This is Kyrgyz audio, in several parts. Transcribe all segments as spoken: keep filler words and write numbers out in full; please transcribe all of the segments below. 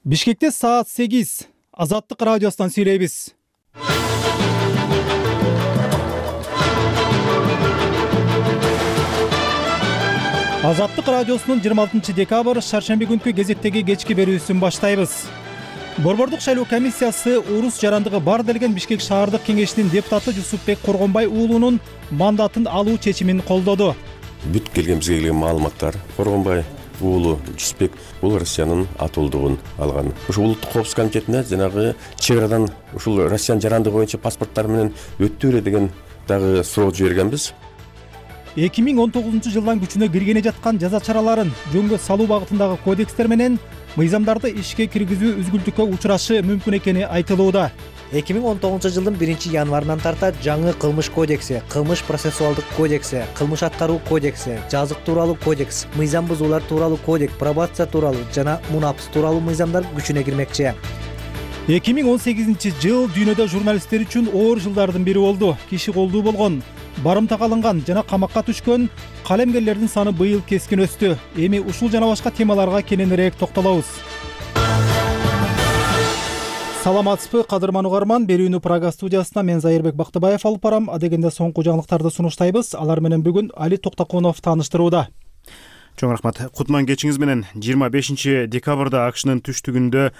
Бишкекте саат сегиз. Азаттык радиосунан сүйлөйбүз. Азаттык радиосунун жыйырма алтынчы декабрь шаршемби күнкү кезектеги кечки берүүсүн баштайбыз. Борбордук шайлоо комиссиясы урус жарандыгы бар делген Бишкек шаардык кеңешинин депутаты Жусупбек Коргонбай уулунун мандатын алуу чечимин колдоду. Бүт келген бизге келген маалыматтар Коргонбай уулу Жусупбек бул Россиянын атуулдугун алган. Ушул улуттук коопсуздук комитетине жанагы чек арадан ушул Россиянын жарандыгы боюнча паспорттар менен өттү беле деген дагы суроо жибергенбиз. эки миң он тогузунчу жылдан күчүнө киргене жаткан жаза чараларын жөнгө салуу багытындагы кодекстер менен мыйзамдарды ишке киргизүү үзгүлтүккө учурашы мүмкүн экени айтылууда. эки миң он тогузунчу жылдын биринчи январынан тарта жаңы кылмыш кодекси, кылмыш процессуалдык кодекси, кылмыш аткаруу кодекси, жазык тууралуу кодекс, мыйзам бузуулар тууралуу кодекс, пробация тууралуу жана мунапс тууралуу мыйзамдар күчүнө кирмекчи. эки миң он сегизинчи жыл дүйнөдө журналисттер үчүн оор жылдардын бири болду. Киши колдуу болгон, барымтага алынган жана камакка түшкөн калемгерлердин саны быйыл кескин өстү. Эми ушул жана башка темаларга кененирээк токтолобуз. Саламатсызбы, кадырман угарман. Берүүнү Прага студиясына мен Зайырбек Бактыбаев алып барам. Адегенде соңку жаңылыктарды сунуштайбыз. Алар менен бүгүн Али Токтокунов тааныштырууда. Чоң рахмат. Кутман кечиңиз менен жыйырма бешинчи декабрда АКШнын түштүгүндө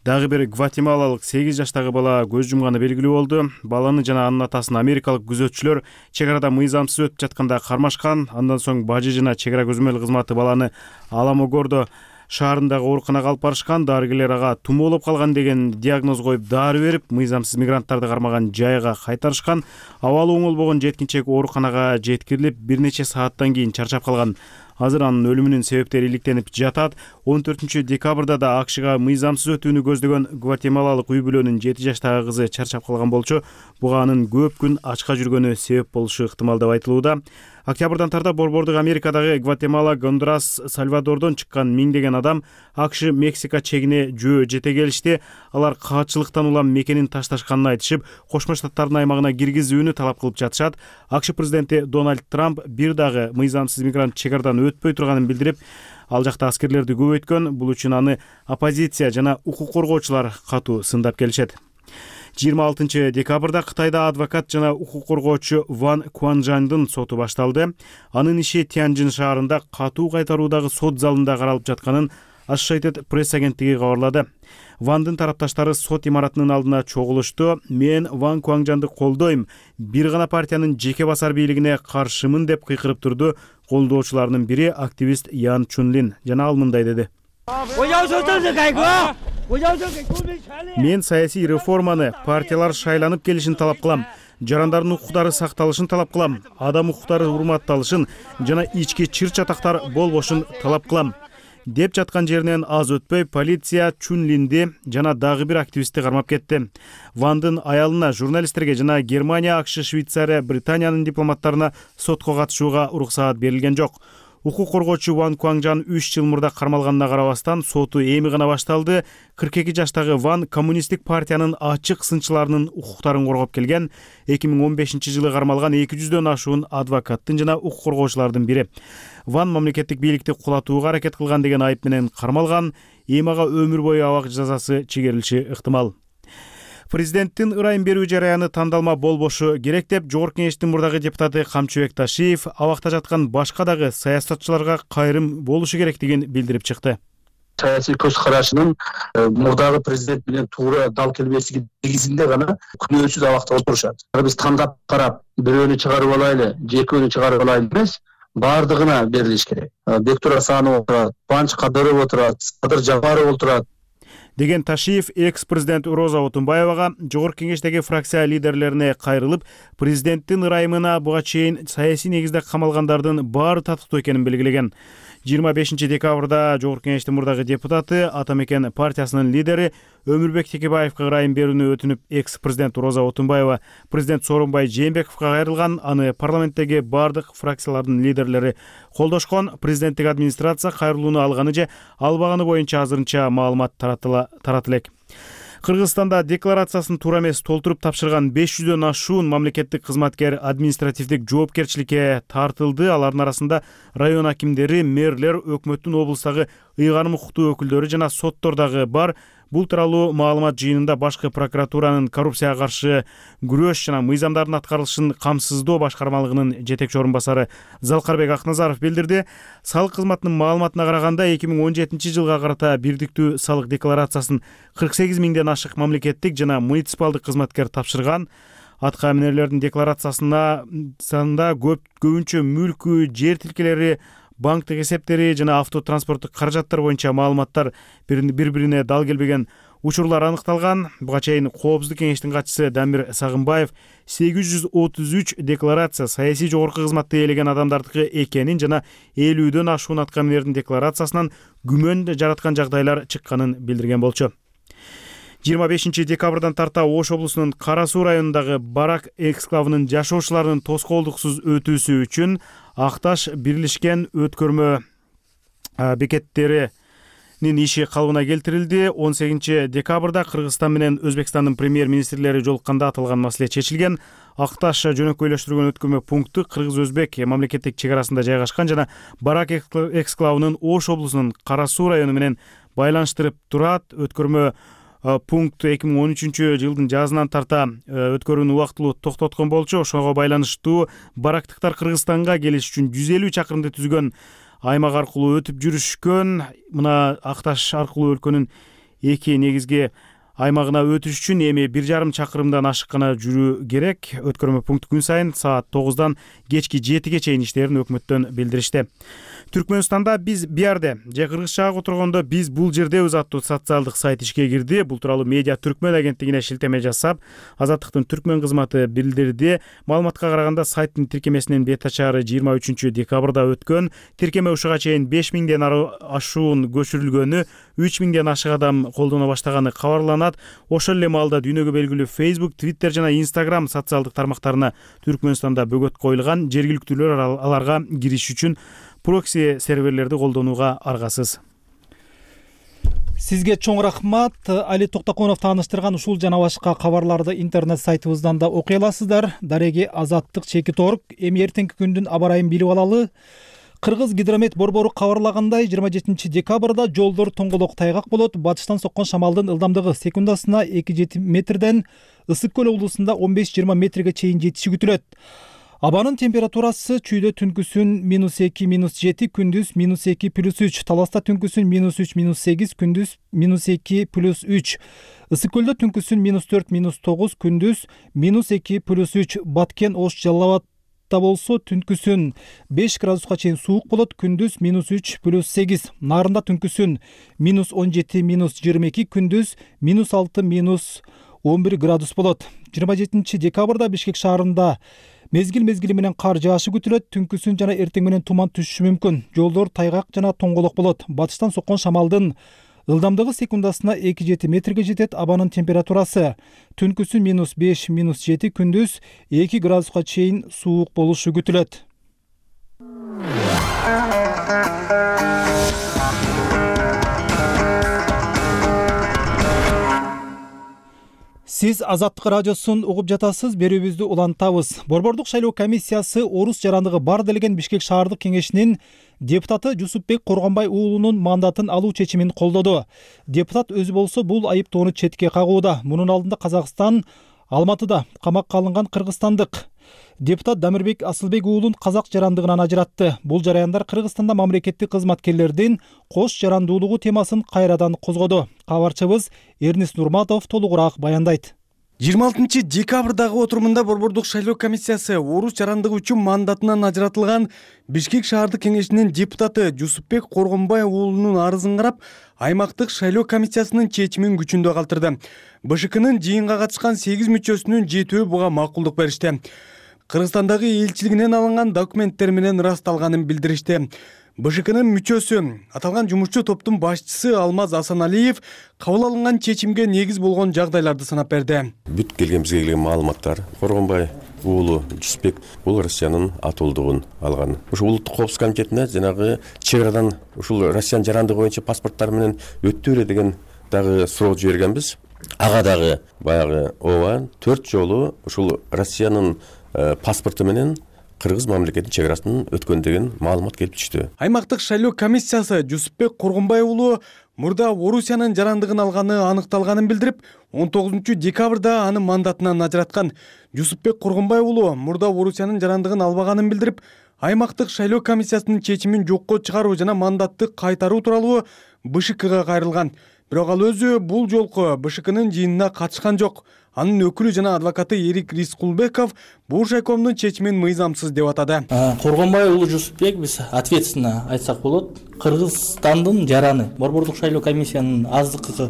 дагы бир гватемалалык сегиз жаштагы бала көз жумганы белгилүү болду. Баланы жана анын атасын америкалык күзөтчүлөр чек арада мыйзамсыз өтүп жатканда кармашкан. Андан соң бажы жана чек ара көзөмөл кызматы баланы Аламогордо шаарындагы ооруканага алып барышкан. Дарыгерлер ага тумоолоп калган деген диагноз коюп дары берип, мыйзамсыз мигранттарды кармаган жайга кайтарышкан. Абалы оңолбогон жеткинчек ооруканага жеткирилип, бир нече сааттан кийин чарчап калган. Азыр анын өлүмүнүн себептери иликтенип жатат. он төртүнчү декабрда да АКШга мыйзамсыз өтүүнү көздөгөн гватемалалык үй бүлөнүн жети жаштагы кызы чарчап калган болчу. Буга анын көп күн ачка жүргөнү себеп болушу ыктымал деп айтылууда. Октябрдан тарта Борбордук Америкадагы Гватемала, Гондурас, Сальвадордон чыккан миңдеген адам АКШ Мексика чегине жөө жете келишти. Алар каатчылыктан улам мекенин ташташканын айтышып, Кошмо Штаттардын аймагына киргизүүнү талап кылып жатышат. АКШ президенти Дональд Трамп бир дагы мыйзамсыз мигрант чек арадан өтпөй турганын билдирип, ал жакта аскерлерди көбөйткөн. Бул үчүн аны оппозиция жана укук коргоочулар катуу сындап келишет. жыйырма алтынчы декабрда Кытайда адвокат жана укук коргоочу Ван Куанжандын соту башталды. Анын иши Тяньжин шаарында катуу кайтаруудагы сот залында каралып жатканын Associated Press агенттиги кабарлады. Вандын тарапташтары сот имаратынын алдына чогулушту. Мен Ван Куанжанды колдойм, бир гана партиянын жеке басар бийлигине каршымын деп кыйкырып турду. Колдоочуларынын бири активист Ян Чунлин. Жана ал мындай деди. Мен саясий реформаны, партиялар шайланып келишин талап кылам. Жарандардын укуктары сакталышын талап кылам. Адам укуктары урматталышын жана ички чыр-чатактар болбошун талап кылам. Деп жаткан жеринен аз өтпөй полиция Чунлинди жана дагы бир активистти кармап кетти. Вандын аялына, журналисттерге жана Германия, АКШ, Швейцария, Британиянын дипломаттарына сотко катышууга уруксаат берилген жок. Укук коргоочу Ван Куанжан үч жыл мурда кармалганына карабастан соту эми гана башталды. кырк эки жаштагы Ван коммунисттик партиянын ачык сынчыларынын укуктарын коргоп келген. эки миң он бешинчи жылы кармалган эки жүздөн ашуун адвокаттын жана укук коргоочулардын бири. Ван мамлекеттик бийликти кулатууга аракет кылган деген айып менен кармалган. Эми ага өмүр бою абак жазасы чегерилиши ыктымал. Президенттин ырайым берүү жараяны тандалма болбошу керек деп Жогорку кеңештин мурдагы депутаты Камчыбек Ташиев абакта жаткан башка дагы саясатчыларга кайрым болушу керектигин билдирип чыкты. Саясий көз карашынын мурдагы президент менен туура дал келбештиги негизинде гана күнөөсүз абакта отурушат. Биз тандап карап, бирөөнү чыгарып алайлы, же экөөнү чыгарып алайлы эмес, бардыгына берилиш керек. Бектур Асанов отурат, Банч Кадыров отурат, Садыр Жапаров отурат. Деген Ташиев экс-президент Роза Отунбаевага Жогорку кеңештеги фракция лидерлерине кайрылып, президенттин ырайымына буга чейин саясий негизде камалгандардын баары татыктуу экенин белгилеген. жыйырма бешинчи декабрда Жогорку кеңештин мурдагы депутаты, Атамекен партиясынын лидери Өмүрбек Текебаевка ырайым берүүнү өтүнүп, экс-президент Роза Отунбаева президент Сооронбай Жээнбековго кайрылган. Аны парламенттеги бардык фракциялардын лидерлери колдошкон. Президенттик администрация кайрылууну алганы же албаганы боюнча азырынча маалымат тарата элек. Кыргызстанда декларациясын туура эмес толтуруп тапшырган беш жүздөн ашуун мамлекеттик кызматкер административдик жоопкерчиликке тартылды. Алардын арасында район акимдери, мэрлер, өкмөттүн облустагы ыйгарым укуктуу өкүлдөрү жана соттор дагы бар. Бул тууралуу маалымат жыйынында башкы прокуратуранын коррупцияга каршы күрөш жана мыйзамдардын аткарылышын камсыздоо башкармалыгынын жетекчи орун басары Залкарбек Акназаров билдирди. Салык кызматынын маалыматына караганда эки миң он жетинчи жылга карата бирдиктүү салык декларациясын кырк сегиз миңден ашык мамлекеттик жана муниципалдык кызматкер тапшырган. Атка минерлердин декларациясына санда көп көбүнчө мүлкү, жер тилкелери, банктык эсептери жана автотранспорттук каражаттар боюнча маалыматтар бири-бирине дал келбеген учурлар аныкталган. Буга чейин Коопсуздук кеңештин катчысы Дамир Сагынбаев сегиз жүз отуз үч декларация саясий жогорку кызматты ээлеген адамдардыкы экенин жана элүүдөн ашуун атка минердин декларациясынан күмөн жараткан жагдайлар чыкканын билдирген болчу. жыйырма бешинчи декабрдан тарта Ош облусунун Кара Суу районундагы Барак эксклавынын жашоочуларынын тоскоолдуксуз өтүүсү үчүн Акташ бирлешкен өткөрмө бекеттеринин иши калыбына келтирилди. он сегизинчи декабрда Кыргызстан менен Өзбекстандын премьер-министрлери жолукканда аталган маселе чечилген. Акташ жөнөкөйлөштүрүлгөн өткөрмө пункту Кыргыз-Өзбек мамлекеттик чек арасында жайгашкан жана Барак эксклавынын Ош облусунун Кара Суу району менен байланыштырып турат. Өткөрмө пункт эки миң он үчүнчү жылдын жазынан тарта өткөрүүнү убактылуу токтоткон болчу. Ошого байланыштуу барактыктар Кыргызстанга келиш үчүн жүз элүү чакырымды түзгөн аймак аркылуу өтүп жүрүшкөн. Мына Акташ аркылуу өлкөнүн эки негизги аймагына өтүш үчүн эми бир жарым чакырымдан ашык гана жүрүү керек. Өткөрмө пункт күн сайын саат тогуздан кечки жетиге чейин иштерин өкмөттөн билдиришти. Түркмөнстанда биз биярде же кыргызчага отургондо биз бул жердебиз аттуу социалдык сайт ишке кирди. Бул тууралуу Медиа Түркмөн агенттигине шилтеме жасап, Азаттыктын Түркмөн кызматы билдирди. Маалыматка караганда сайттын тиркемесинин бет ачары жыйырма үчүнчү декабрда өткөн. Тиркеме ушуга чейин беш миңден ашуун көчүрүлгөнү, үч миңден ашык адам колдоно баштаганы кабарланат. Ошол эле маалда дүйнөгө белгилүү Facebook, Twitter жана Instagram социалдык тармактарына Түркмөнстанда бөгөт коюлган. Жергиликтүүлөр аларга кириш үчүн прокси серверлерди колдонууга аргасыз. Сизге чоң рахмат. Али Токтоконов тааныштырган ушул жана башка кабарларды интернет сайтыбыздан да окуй аласыздар. Дареги Азаттык чекит орг. Эми эртеңки күндүн аба ырайын билип алалы. Кыргыз гидромет борбору кабарлагандай, жыйырма жетинчи декабрда жолдор тоңголок тайгак болот. Батыштан соккон шамалдын ылдамдыгы секундасына эки жети метрден Ысык көл облусунда он беш жыйырма метрге чейин жетиши күтүлөт. Абанын температурасы чүйдө түнкүсүн минус эки минус жети, күндүз минус эки плюс үч, Таласта түнкүсүн минус үч минус сегиз, күндүз минус эки плюс үч, Ысык көлдө түнкүсүн минус төрт минус тогуз, күндүз минус эки плюс үч, Баткен, Ош, Жалал Абадта болсо түнкүсүн беш градуска чейин суук болот, күндүз минус үч плюс сегиз, Нарында түнкүсүн минус он жети минус жыйырма эки, күндүз минус алты минус он бир градус болот. жыйырма жетинчи декабрда Бишкек шаарында мезгил-мезгили менен кар жаашы күтүлөт. Түнкүсүн жана эртең менен туман түшүшү мүмкүн. Жолдор тайгак жана тоңголок болот. Батыштан соккон шамалдын ылдамдыгы секундасына эки жети метрге жетет. Абанын температурасы түнкүсүн минус беш минус жети, күндүз эки градуска чейин суук болушу күтүлөт. Сиз Азаттык радиосун угуп жатасыз, берүүбүздү улантабыз. Борбордук шайлоо комиссиясы орус жарандыгы бар делген Бишкек шаардык кеңешинин депутаты Жусупбек Коргонбай уулунун мандатын алуу чечимин колдоду. Депутат өзү болсо бул айыптоону четке кагууда. Мунун алдында Казакстан Алматыда камакка алынган кыргызстандык депутат Дамирбек Асылбек уулун казак жарандыгынан ажыратты. Бул жараяндар Кыргызстанда мамлекеттик кызматкерлердин кош жарандуулугу темасын кайрадан козгоду. Кабарчыбыз Эрнис Нурматов толугураак баяндайт. жыйырма алтынчы декабрдагы отурумунда Борбордук шайлоо комиссиясы орус жарандыгы үчүн мандатынан ажыратылган Бишкек шаардык кеңешинин депутаты Жусупбек Коргонбай уулунун арызын карап, аймактык шайлоо комиссиясынын чечимин күчүндө калтырды. БШКнын жыйынга катышкан сегиз мүчөсүнүн жетөө буга макулдук беришти. Кыргызстандагы элчилигинен алынган документтер менен ырасталганын билдиришти. БШКнын мүчөсү, аталган жумушчу топтун башчысы Алмаз Асаналиев кабыл алынган чечимге негиз болгон жагдайларды санап берди. Бүт келген бизге келген маалыматтар Коргонбай уулу Жусупбек бул Россиянын атуулдугун алган. Ушул улуттук коопсуздук комитетине жанагы чек арадан ушул Россиянын жарандыгы боюнча паспорттар менен өттү беле деген дагы суроо жибергенбиз. Ага дагы баягы ооба төрт жолу ушул Россиянын паспорту менен кыргыз мамлекетинин чек арасынан өткөн деген маалымат келип түштү. Аймактык шайлоо комиссиясы Жусупбек Коргонбай уулу мурда Орусиянын жарандыгын алганы аныкталганын билдирип, он тогузунчу декабрда аны мандатынан ажыраткан. Жусупбек Коргонбай уулу мурда Орусиянын жарандыгын албаганын билдирип, аймактык шайлоо комиссиясынын чечимин жокко чыгаруу жана мандатты кайтаруу тууралуу БШКга кайрылган. Бирок ал өзү бул жолку БШКнын жыйынына катышкан жок. Анын өкүлү жана адвокаты Эрик Рискулбеков бул шайкомдун чечимин мыйзамсыз деп атады. Коргонбай уулу Жусупбек биз ответственно айтсак болот. Кыргызстандын жараны Борбордук шайлоо комиссиянын аздыкы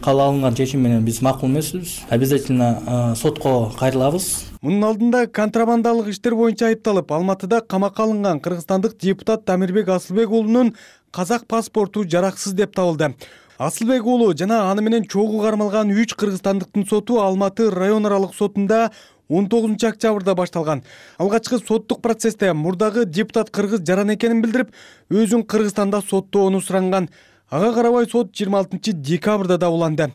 кабыл алынган чечим менен биз макул эмеспиз. Обязательно сотко кайрылабыз. Мунун алдында контрабандалык иштер боюнча айыпталып, Алматыда камакка алынган кыргызстандык депутат Тамирбек Асылбек уулунун казак паспорту жараксыз деп табылды. Асылбек уулу жана аны менен чогуу кармалган үч кыргызстандыктын соту Алматы район аралык сотунда он тогузунчу октябрда башталган. Алгачкы соттук процессте мурдагы депутат кыргыз жаран экенин билдирип, өзүн Кыргызстанда соттоону суранган. Ага карабай сот жыйырма алтынчы декабрда да уланды.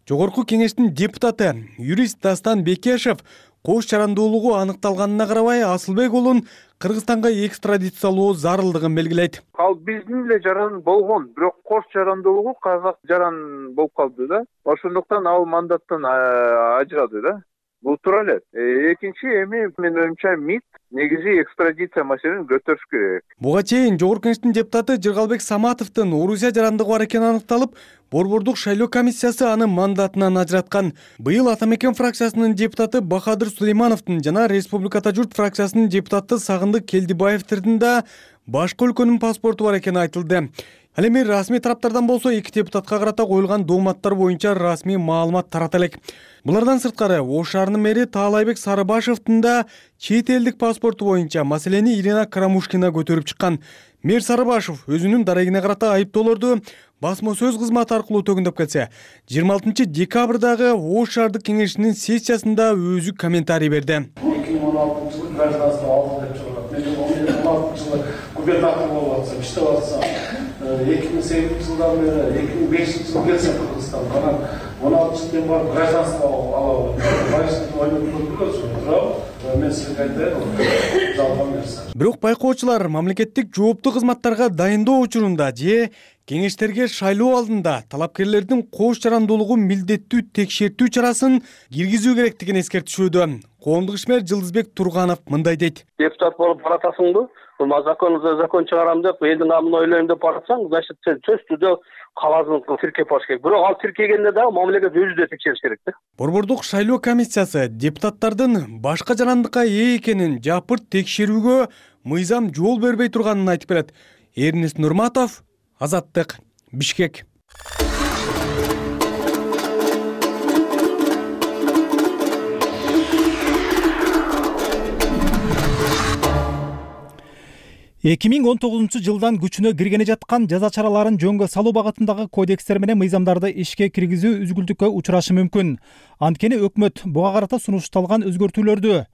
Жогорку кеңештин депутаты юрист Дастан Бекешев кош жарандуулугу аныкталганына карабай Асылбек уулун Кыргызстанга экстрадициялоо зарылдыгын белгилейт. Ал биздин эле жаран болгон, бирок кош жарандуулугу казак жаран болуп калды да. Ошондуктан ал мандаттан ажырады да. Бул туура эле. Экинчи эми мен оюмча МИД негизи экстрадиция маселесин көтөрүш керек. Буга чейин Жогорку кеңештин депутаты Жыргалбек Саматовдун Орусия жарандыгы бар экени аныкталып, Борбордук шайлоо комиссиясы аны мандатынан ажыраткан. Быйыл Ата Мекен фракциясынын депутаты Бахадыр Сулеймановдун жана Республиката журт фракциясынын депутаты Сагындык Келдибаевдин да башка өлкөнүн паспорту бар экени айтылды. Ал эми расмий тараптардан болсо эки депутатка карата коюлган дооматтар боюнча расмий маалымат тарата элек. Булардан сырткары Ош шаарынын мэри Таалайбек Сарыбашевдин да чет элдик паспорту боюнча маселени Ирина Карамушкина көтөрүп чыккан. Мэр Сарыбашев өзүнүн дарегине карата айыптоолорду басма сөз кызматы аркылуу төгүндөп келсе, жыйырма алтынчы декабрдагы Ош шаардык кеңешинин сессиясында өзү комментарий берди. эки миң он алтынчы жылы гражданство алды деп чыгат. Мен он алтынчы жылы губернатор болуп атсам, иштеп атсам, эки миң сегизинчи жылдан бери эки миң бешинчи жылы келсем Кыргызстанга, анан он алтынчы жылдан барып гражданство алабы. Байсыз ойлоп көрдүңүзбү? Мен сизге айтайын, жалган нерсе. Бирок байкоочулар мамлекеттик жооптуу кызматтарга дайындоо учурунда же кеңештерге шайлоо алдында талапкерлердин кош жарандуулугун милдеттүү текшертүү чарасын киргизүү керектигин эскертишүүдө. Коомдук ишмер Жылдызбек Турганов мындай дейт. Депутат болуп баратасыңбы? Бул закон за закон чыгарам деп, элдин намын ойлойм деп баратсаң, значит сен сөзсүздө калаасың тиркеп баш керек. Бирок ал тиркегенде да мамлекет өзү да текшериш керек да. Борбордук шайлоо комиссиясы депутаттардын башка жарандыкка ээ экенин жапырт текшерүүгө мыйзам жол бербей турганын айтып берет. Эрнест Нурматов, Азаттык, Бишкек. эки миң он тогузунчу жылдан күчүнө киргене жаткан жаза чараларын жөнгө салуу багытындагы кодекстер менен мыйзамдарды ишке киргизүү үзгүлтүккө учурашы мүмкүн. Анткени өкмөт буга карата сунушталган өзгөртүүлөрдү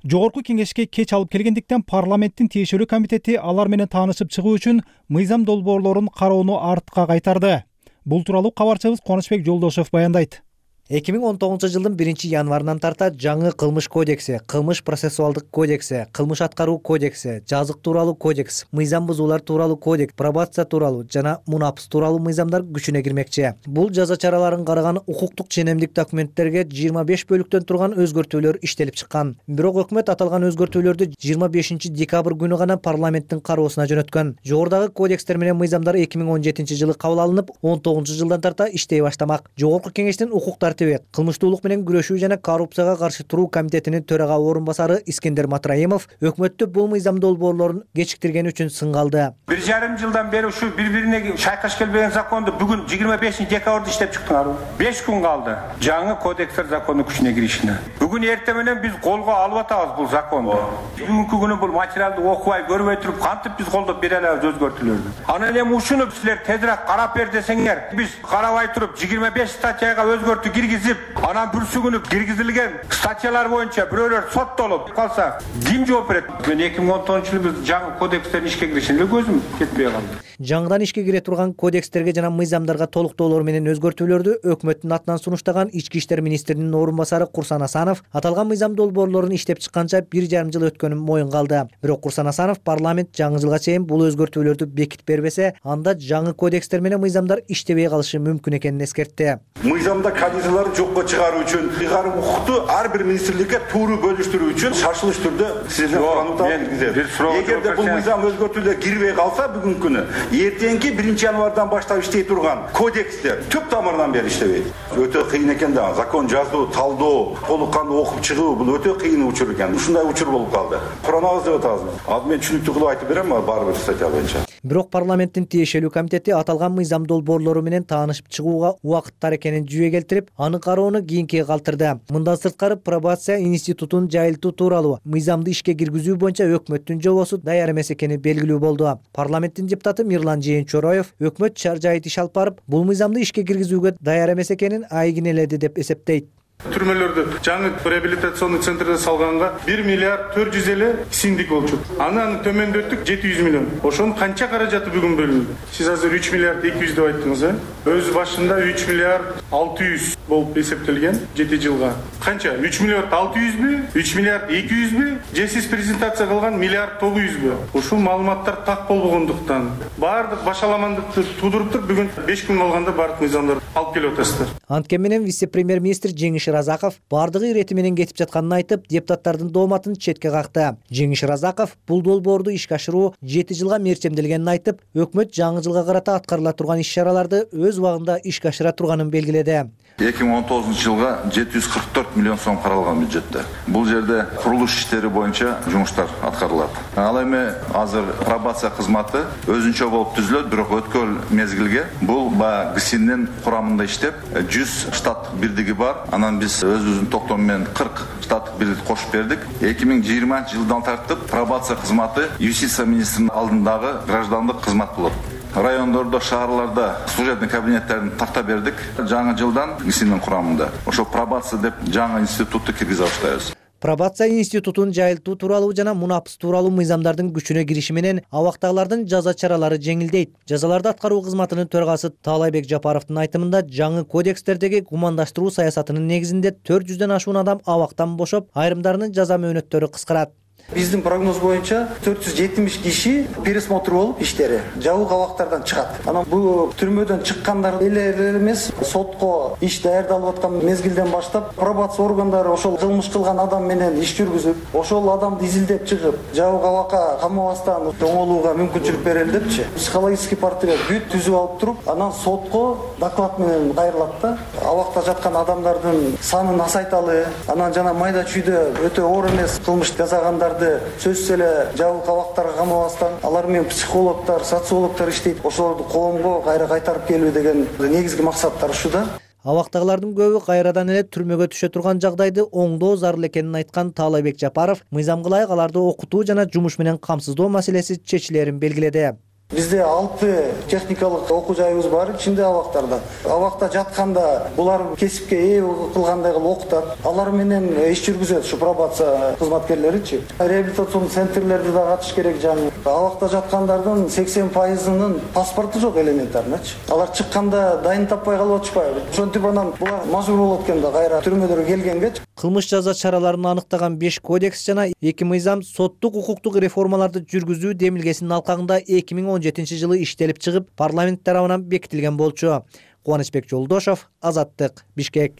Жогорку кеңешке кеч алып келгендиктен парламенттин тиешелүү комитети алар менен таанышып чыгуу үчүн мыйзам долбоорлорун кароону артка кайтарды. Бул тууралуу кабарчыбыз Кубанычбек Жолдошев баяндайт. эки миң он тогузунчу жылдын биринчи январынан тарта жаңы кылмыш кодекси, кылмыш процессуалдык кодекси, кылмыш аткаруу кодекси, жазык тууралуу кодекс, мыйзам бузуулар тууралуу кодекс, пробация тууралуу жана мунапс тууралуу мыйзамдар күчүнө кирмекчи. Бул жаза чараларын караган укуктук ченемдик документтерге жыйырма беш бөлүктөн турган өзгөртүүлөр иштелип чыккан. Бирок өкмөт аталган өзгөртүүлөрдү жыйырма бешинчи декабрь күнү гана парламенттин кароосуна жөнөткөн. Жогорудагы кодекстер менен мыйзамдар эки миң он жетинчи жылы кабыл алынып, он тогузунчу жылдан тарта иштей баштамак. Жогорку кеңештин укуктар кылмыштуулук менен күрөшүү жана коррупцияга каршы туруу комитетинин төрага орун басары Искендер Матраимов өкмөттү бул мыйзам долбоорлорун кечиктиргени үчүн сынга алды. Бир жарым жылдан бери ушу бири-бирине шайкаш келбеген законду бүгүн жыйырма бешинчи декабрда иштеп чыктыңар. беш күн калды жаңы кодекстер закону күчүнө киришине. Бүгүн эртең менен биз колго алып атабыз бул законду. Бүгүнкү күнү бул материалды окубай көрбөй туруп кантип биз колдоп бере алабыз өзгөртүүлөрдү. Анан эми ушуну силер тезирээк карап бер десеңер, биз карабай туруп жыйырма беш статьяга өзгөртүү киргизип киргизип, анан бүрсүгүнүп киргизилген статьялар боюнча бирөөлөр соттолуп калса, ким жооп берет? Мен эки миң он тогузунчу жылы биз жаңы кодекстердин ишке киришине көзүм жетпей калды. Жаңыдан ишке кире турган кодекстерге жана мыйзамдарга толуктоолор менен өзгөртүүлөрдү өкмөттүн атынан сунуштаган Ички иштер министринин орун басары Курсан Асанов аталган мыйзам долбоорлорун иштеп чыкканча бир жарым жыл өткөнүн моюнга алды. Бирок Курсан Асанов парламент жаңы жылга чейин бул өзгөртүүлөрдү бекитип бербесе, анда жаңы кодекстер менен мыйзамдар иштебей калышы мүмкүн экенин эскертти. Мыйзамда кандидаттарды жокко чыгаруу үчүн ыйгарым укукту ар бир министрликке тууру бөлүштүрүү үчүн шашылыш түрдө сиздерден сурануу киргизет. Эгерде бул мыйзам өзгөртүүлөр кирбей калса бүгүнкү күнү эртеңки биринчи январдан баштап иштей турган кодекстер түп тамырынан бери иштебейт. Өтө кыйын экен да, закон жазуу, талдоо, толук кандуу окуп чыгуу бул өтө кыйын учур экен. Ушундай учур болуп калды. Куранабыз деп атабыз. Ал мен түшүнүктүү кылып айтып берем, ар бир статья боюнча. Бирок парламенттин тиешелүү комитети аталган мыйзам долбоорлору менен таанышып чыгууга убакыттар экенин жүйө келтирип, аны кароону кийинкиге калтырды. Мындан сырткары пробация институтун жайылтуу тууралуу мыйзамды ишке киргизүү боюнча өкмөттүн жобосу даяр эмес экени белгилүү болду. Парламенттин депутаты Мирлан Жээнчороев өкмөт чар жайыт иш алып барып, бул мыйзамды ишке киргизүүгө даяр эмес экенин айгинеледи деп эсептейт. Түрмөлөрдү жаңы реабилитационный центрде салганга бир миллиард төрт жүз элүү сиңдик болчу. Анан төмөндөттүк жети жүз миллион. Ошонун канча каражаты бүгүн бөлүндү? Сиз азыр үч миллиард эки жүз деп айттыңыз, э? Өз башында үч миллиард алты жүз болуп эсептелген жети жылга. Канча? үч миллиард алты жүзбү? үч миллиард эки жүзбү? Же сиз презентация кылган миллиард тогуз жүзбү? Ушул маалыматтар так болбогондуктан баардык башаламандыкты туудуруп бugün беш күн калганда баардык мыйзамдарды алып келип атасыздар. Анткени менен вице-премьер-министр Жеңиш Разаков бардыгы ирети менен кетип жатканын айтып, депутаттардын дооматын четке какты. Жеңиш Разаков бул долбоорду ишке ашыруу жети жылга мерчемделгенин айтып, өкмөт жаңы жылга карата аткарыла турган иш-чараларды өз убагында ишке ашыра турганын белгиледи. эки миң он тогузунчу жылга жети жүз кырк төрт миллион сом каралган бюджетте. Бул жерде курулуш иштери боюнча жумуштар аткарылат. Ал эми азыр пробация кызматы өзүнчө болуп түзүлөт, бирок өткөн мезгилге бул баягы ГСИНдин курамында иштеп, жүз штаттык бирдиги бар. Анан биз өзүбүздүн токтому менен кырк штаттык бирдик кошуп бердик. эки миң жыйырманчы жылдан тартып пробация кызматы юстиция министринин алдындагы граждандык кызмат болот. Райондордо, шаарларда служебный кабинеттерин тарта бердик. Жаңы жылдан ГСИНдин курамында. Ошо пробация деп жаңы институтту киргизе баштайбыз. Пробация институтун жайылтуу тууралуу жана мунапыс тууралуу мыйзамдардын күчүнө кириши менен абактагылардын жаза чаралары жеңилдейт. Жазаларды аткаруу кызматынын төрагасы Таалайбек Жапаровдун айтымында жаңы кодекстердеги гумандаштыруу саясатынын негизинде төрт жүздөн ашуун адам абактан бошоп, айрымдарынын жаза мөөнөттөрү кыскарат. Биздин прогноз боюнча төрт жүз жетимиш киши пересмотр болуп иштери жабык абактардан чыгат. Анан бул түрмөдөн чыккандар эле эмес, сотко иш даярдалып аткан мезгилден баштап пробация органдары ошол кылмыш кылган адам менен иш жүргүзүп, ошол адамды изилдеп чыгып, жабык абакка камабастан оңолууга мүмкүнчүлүк берели депчи. Психологический портрет бүт түзүп алып туруп, анан сотко доклад менен кайрылат да. Абакта жаткан адамдардын санын азайталы, анан жана майда чүйдө өтө оор эмес кылмыш жасагандар сөзсүз эле жабык абактарга камабастан алар менен психологдор, социологдор иштейт. Ошолорду коомго кайра кайтарып келүү деген негизги максаттар ушуда. Абактагылардын көбү кайрадан эле түрмөгө түшө турган жагдайды оңдоо зарыл экенин айткан Таалайбек Жапаров мыйзамга ылайык аларды окутуу жана жумуш менен камсыздоо маселеси чечилерин белгиледи. Бизде алты техникалык окуу жайыбыз бар ичинде абактарда. Абакта жатканда булар кесипке ээ кылгандай кылып окутат. Алар менен иш жүргүзөт ушу пробация кызматкерлеричи. Реабилитационный центрлерде да катыш керек жаңы. Абакта жаткандардын сексен пайызынын паспорту жок элементарнычы. Алар чыкканда дайын таппай калып атышпайбы? Ошентип анан булар мажбур болот экен да кайра түрмөдөргө келгенге. Кылмыш жаза чараларын аныктаган беш кодекс жана эки мыйзам соттук укуктук реформаларды жүргүзүү демилгесинин алкагында эки миң он жетинчи жылы иштелип чыгып, парламент тарабынан бекитилген болчу. Кубанычбек Жолдошов, Азаттык, Бишкек.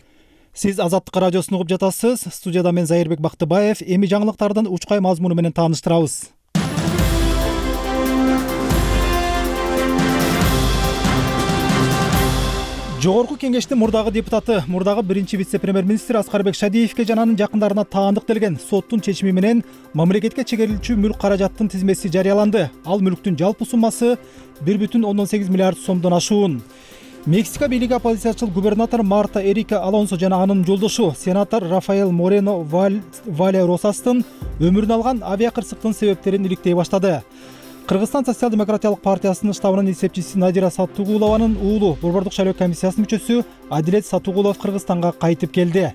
Сиз Азаттык радиосун угуп жатасыз. Студияда мен Зайырбек Бактыбаев. Эми жаңылыктардын учкай мазмуну менен тааныштырабыз. Жогорку кеңештин мурдагы депутаты, мурдагы биринчи вице-премьер-министр Аскарбек Шадиевке жана анын жакындарына таандык делген соттун чечими менен мамлекетке чегерилчү мүлк каражаттын тизмеси жарыяланды. Ал мүлктүн жалпы суммасы бир бүтүн ондон сегиз миллиард сомдон ашуун. Мексика бийлиги оппозициячыл губернатор Марта Эрика Алонсо жана анын жолдошу сенатор Рафаэл Морено Вале Росастын өмүрүн алган авиакырсыктын себептерин иликтей баштады. Кыргызстан социал-демократиялык партиясынын штабынын эсепчиси Надира Сатугулованын уулу Борбордук шайлоо комиссиясынын мүчөсү Адилет Сатугулов Кыргызстанга кайтып келди.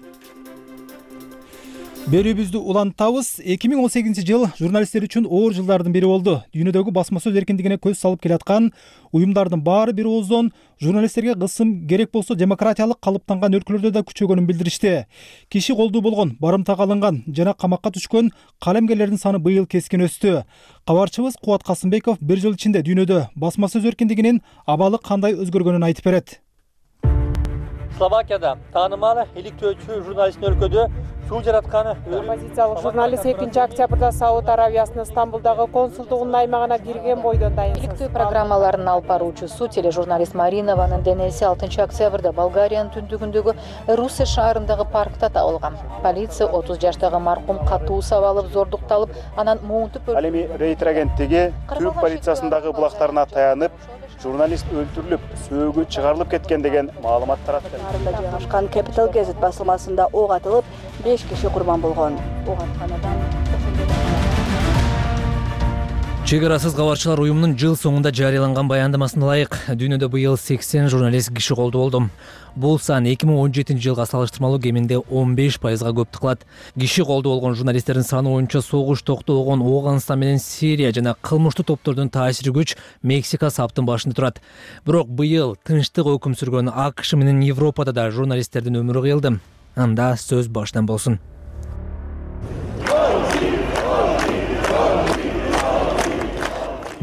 Берүүбүздү улантабыз. эки миң он сегизинчи жыл журналисттер үчүн оор жылдардын бири болду. Дүйнөдөгү басма сөз эркиндигине көз салып келаткан уюмдардын баары бир ооздон журналисттерге кысым керек болсо демократиялык калыптанган өлкөлөрдө да күчөгөнүн билдиришти. Киши колдуу болгон, барымтага алынган жана камакка түшкөн калемгерлердин саны быйыл кескин өстү. Кабарчыбыз Кубат Касымбеков бир жыл ичинде дүйнөдө басма сөз эркиндигинин абалы кандай өзгөргөнүн айтып берет. Словакияда таанымал иликтөөчү журналисттин өлкөдө суу жаратканы оппозициялык журналист экинчи октябрда Сауд Аравиясынын Стамбулдагы консулдугунун аймагына кирген бойдон дайын. Иликтөө программаларын алып баруучусу тележурналист Маринованын денеси алтынчы октябрда Болгариянын түндүгүндөгү Русе шаарындагы паркта табылган. Полиция отуз жаштагы маркум катуу сабалып, зордукталып, анан муунтуп Ал эми Рейтер агенттиги Түрк полициясындагы булактарына таянып, журналист өлтүрүлүп, сөөгү чыгарылып кеткен деген маалымат таратты. Жайгашкан Capital Gazette басылмасында ок атылып, беш киши курбан болгон. Ок атканадан Чек арасыз кабарчылар уюмунун жыл соңунда жарыяланган баяндамасына ылайык, дүйнөдө быйыл сексен журналист киши колдуу болду. Бул сан эки миң он жетинчи жылга салыштырмалуу кеминде он беш пайызга көптү кылат. Киши колдуу болгон журналисттердин саны боюнча согуш токтогон Ооганстан менен Сирия жана кылмыштуу топтордун таасири күч Мексика саптын башында турат. Бирок быйыл тынчтык өкүм сүргөн АКШ менен Европада да журналисттердин өмүрү кыйылды. Анда сөз башынан болсун.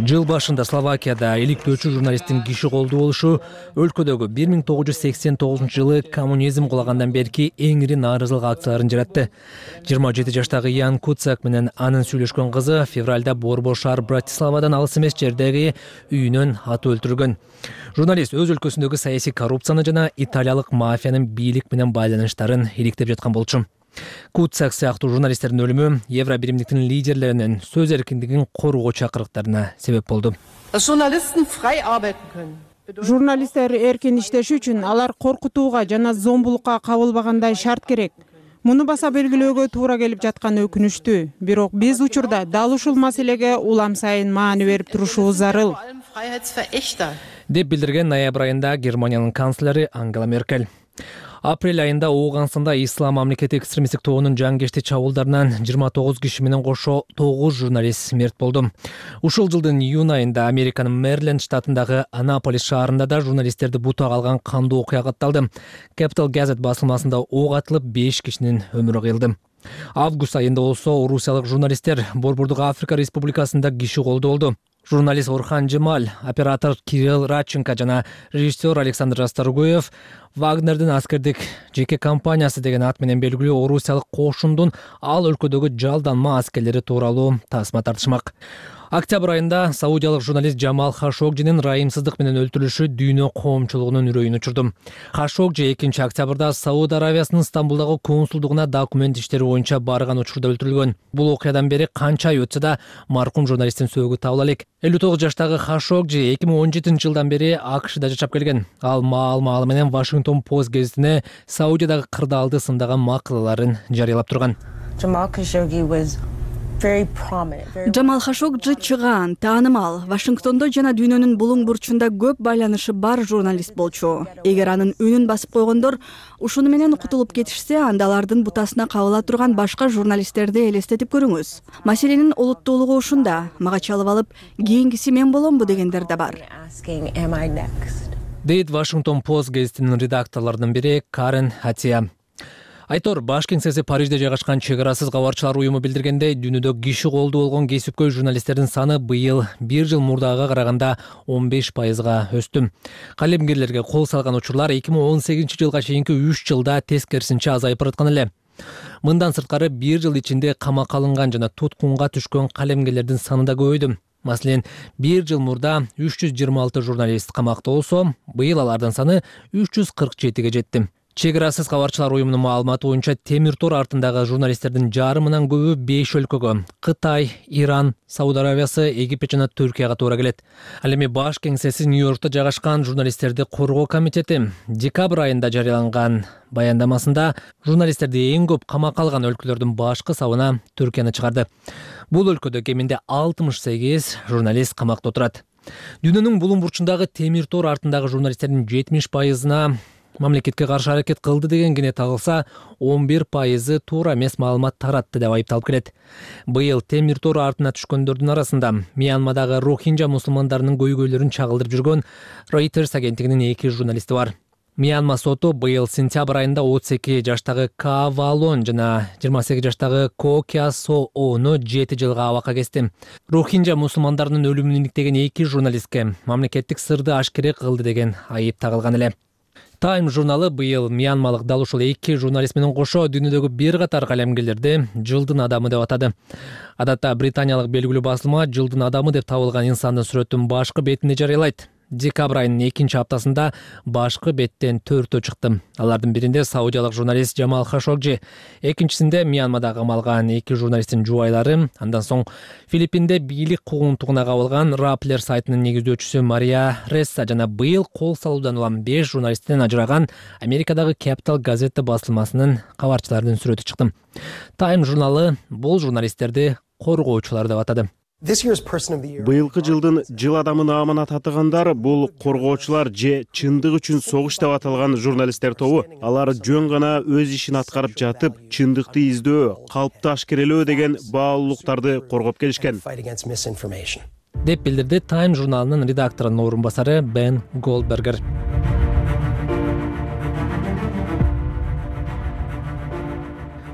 Жыл башында Словакияда иликтөөчү журналисттин киши колдуу болушу өлкөдөгү бир миң тогуз жүз сексен тогузунчу жылы коммунизм кулагандан берки эң ири нааразылык акцияларын жаратты. жыйырма жети жаштагы Ян Куцак менен анын сүйлөшкөн кызы февралда Борбор шаар Братиславадан алыс эмес жердеги үйүнөн атып өлтүрүлгөн. Журналист өз өлкөсүндөгү саясий коррупцияны жана италиялык мафиянын бийлик менен байланыштарын иликтеп жаткан болчу. Куцак сыяктуу журналисттердин өлүмү Евро биримдиктин лидерлеринин сөз эркиндигин коргоо чакырыктарына себеп болду. Журналисттер эркин иштеши үчүн алар коркутууга жана зомбулукка кабылбагандай шарт керек. Муну баса белгилөөгө туура келип жатканы өкүнүчтүү. Бирок биз учурда дал ушул маселеге улам сайын маани берип турушубуз зарыл, деп билдирген ноябрь айында Германиянын канцлери Ангела Меркель. Апрель айында Ооганстанда Ислам мамлекети экстремисттик тобунун жангечти чабуулдарынан жыйырма тогуз киши менен кошо тогуз журналист мерт болду. Ушул жылдын июнь айында Американын Мэриленд штатындагы Анаполис шаарында да журналисттерди бутага алган кандуу окуя катталды. Capital Gazette басылмасында ок атылып беш кишинин өмүрү кыйылды. Август айында болсо орусиялык журналисттер Борбордук Африка Республикасында киши колдуу болду. Журналист Орхан Джемаль, оператор Кирилл Радченко жана режиссер Александр Расторгуев Вагнердин аскердик жеке компаниясы деген ат менен белгилүү орусиялык кошундун ал өлкөдөгү жалданма аскерлери тууралуу тасма тартышмак. Октябрь айында саудиялык журналист Джамал Хашогжинин райымсыздык менен өлтүрүлүшү дүйнө коомчулугунун үрөйүн учурду. Хашогжи экинчи октябрда Сауд Аравиясынын Стамбулдагы консулдугуна документ иштери боюнча барган учурда өлтүрүлгөн. Бул окуядан бери канча ай өтсө да маркум журналисттин сөөгү табыла элек. элүү тогуз жаштагы Хашогжи эки миң он жетинчи жылдан бери АКШда жашап келген. Ал маал-маалы менен Washington Post гезитине Саудиядагы кырдаалды сындаган макалаларын жарыялап турган. Джамал Хашогжи чыгаан, таанымал, Вашингтондо жана дүйнөнүн булуң бурчунда көп байланышы бар журналист болчу. Эгер анын үнүн басып койгондор ушуну менен кутулуп кетишсе, анда алардын бутасына кабыла турган башка журналисттерди элестетип көрүңүз. Маселенин олуттуулугу ушунда. Мага чалып алып, кийинкиси мен боломбу дегендер да бар. Дейт Washington Post гезитинин редакторлорунун бири Карен Хатия. Айтор баш кеңсеси Парижде жайгашкан чек арасыз кабарчылар уюму билдиргендей, дүйнөдө киши колдуу болгон кесипкөй журналисттердин саны быйыл бир жыл мурдага караганда он беш пайызга өстү. Калемгерлерге кол салган учурлар эки миң он сегизинчи жылга чейинки үч жылда тескерисинче азайып бараткан эле. Мындан сырткары бир жыл ичинде камакка алынган жана туткунга түшкөн калемгерлердин саны да көбөйдү. Маселен, бир жыл мурда үч жүз жыйырма алты журналист камакта болсо, быйыл алардын саны үч жүз кырк жетиге жетти. Чек арасыз кабарчылар уюмунун маалыматы боюнча темир тор артындагы журналисттердин жарымынан көбү беш өлкөгө Кытай, Иран, Сауд Арабиясы, Египет жана Түркияга туура келет. Ал эми баш кеңсеси Нью-Йоркто жайгашкан журналисттерди коргоо комитети декабрь айында жарыяланган баяндамасында журналисттерди эң көп камакка алган өлкөлөрдүн башкы сабына Түркияны чыгарды. Бул өлкөдө кеминде алтымыш сегиз журналист камакта отурат. Дүйнөнүн булуң бурчундагы темир тор артындагы журналисттердин жетимиш пайызына мамлекетке каршы аракет кылды деген кене тагылса, он бир пайызы туура эмес маалымат таратты деп айыпталып келет. Быйыл темир тор артына түшкөндөрдүн арасында Мьянмадагы рохинджа мусулмандарынын көйгөйлөрүн чагылдырып жүргөн Reuters агенттигинин эки журналисти бар. Мьянма соту быйыл сентябрь айында отуз эки жаштагы Ка Валон жана жыйырма сегиз жаштагы Ко Кя Со Ону жети жылга абакка кести. Рохинджа мусулмандарынын өлүмүн иликтеген эки журналистке мамлекеттик сырды ашкере кылды деген айып тагылган эле. Time журналы быйыл мьянмалык дал ушул эки журналист менен кошо дүйнөдөгү бир катар калемгерлерди жылдын адамы деп атады. Адатта британиялык белгилүү басылма жылдын адамы деп табылган инсандын сүрөтүн башкы бетинде жарыялайт. Декабрь айынын экинчи аптасында башкы беттен төртөө чыкты. Алардын биринде саудиялык журналист Жамал Хашогжи, экинчисинде Мьянмада камалган эки журналисттин жубайлары, андан соң Филиппинде бийлик куугунтугуна кабылган Rappler сайтынын негиздөөчүсү Мария Ресса жана быйыл кол салуудан улам беш журналисттен ажыраган Америкадагы Capital газета басылмасынын кабарчыларынын сүрөтү чыкты. Time журналы бул журналисттерди коргоочулар деп атады. Быйылкы жылдын жыл адамына аманат атагандар бул коргоочулар же чындык үчүн согуш деп аталган журналисттер тобу. Алар жөн гана өз ишин аткарып жатып, чындыкты издөө, калпты ашкерелөө деген баалуулуктарды коргоп келишкен. Деп билдирди Time журналынын редакторунун орун басары Бен Голдбергер.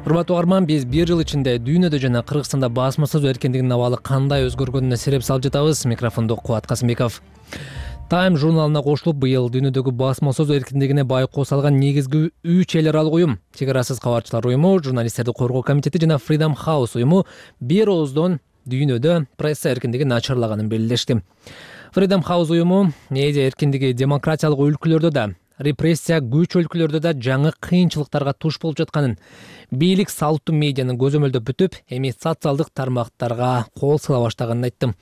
Урматтуу угарман, биз бир жыл ичинде дүйнөдө жана Кыргызстанда басма сөз эркиндигинин абалы кандай өзгөргөнүнө сереп салып жатабыз. Микрофондо Кубат Касымбеков. Time журналына кошулуп, быйыл дүйнөдөгү басма сөз эркиндигине байкоо салган негизги үч эл аралык уюм, Чек арасыз кабарчылар уюму, Журналисттерди коргоо комитети жана Freedom House уюму бир ооздон дүйнөдө пресса эркиндигин начарлаганын белгилешти. Freedom House уюму медиа эркиндиги демократиялык өлкөлөрдө да, репрессия күч өлкөлөрдө да жаңы кыйынчылыктарга туш болуп жатканын, бийлик салттуу медианы көзөмөлдөп бүтүп, эми социалдык тармактарга кол сала баштаганын айтты.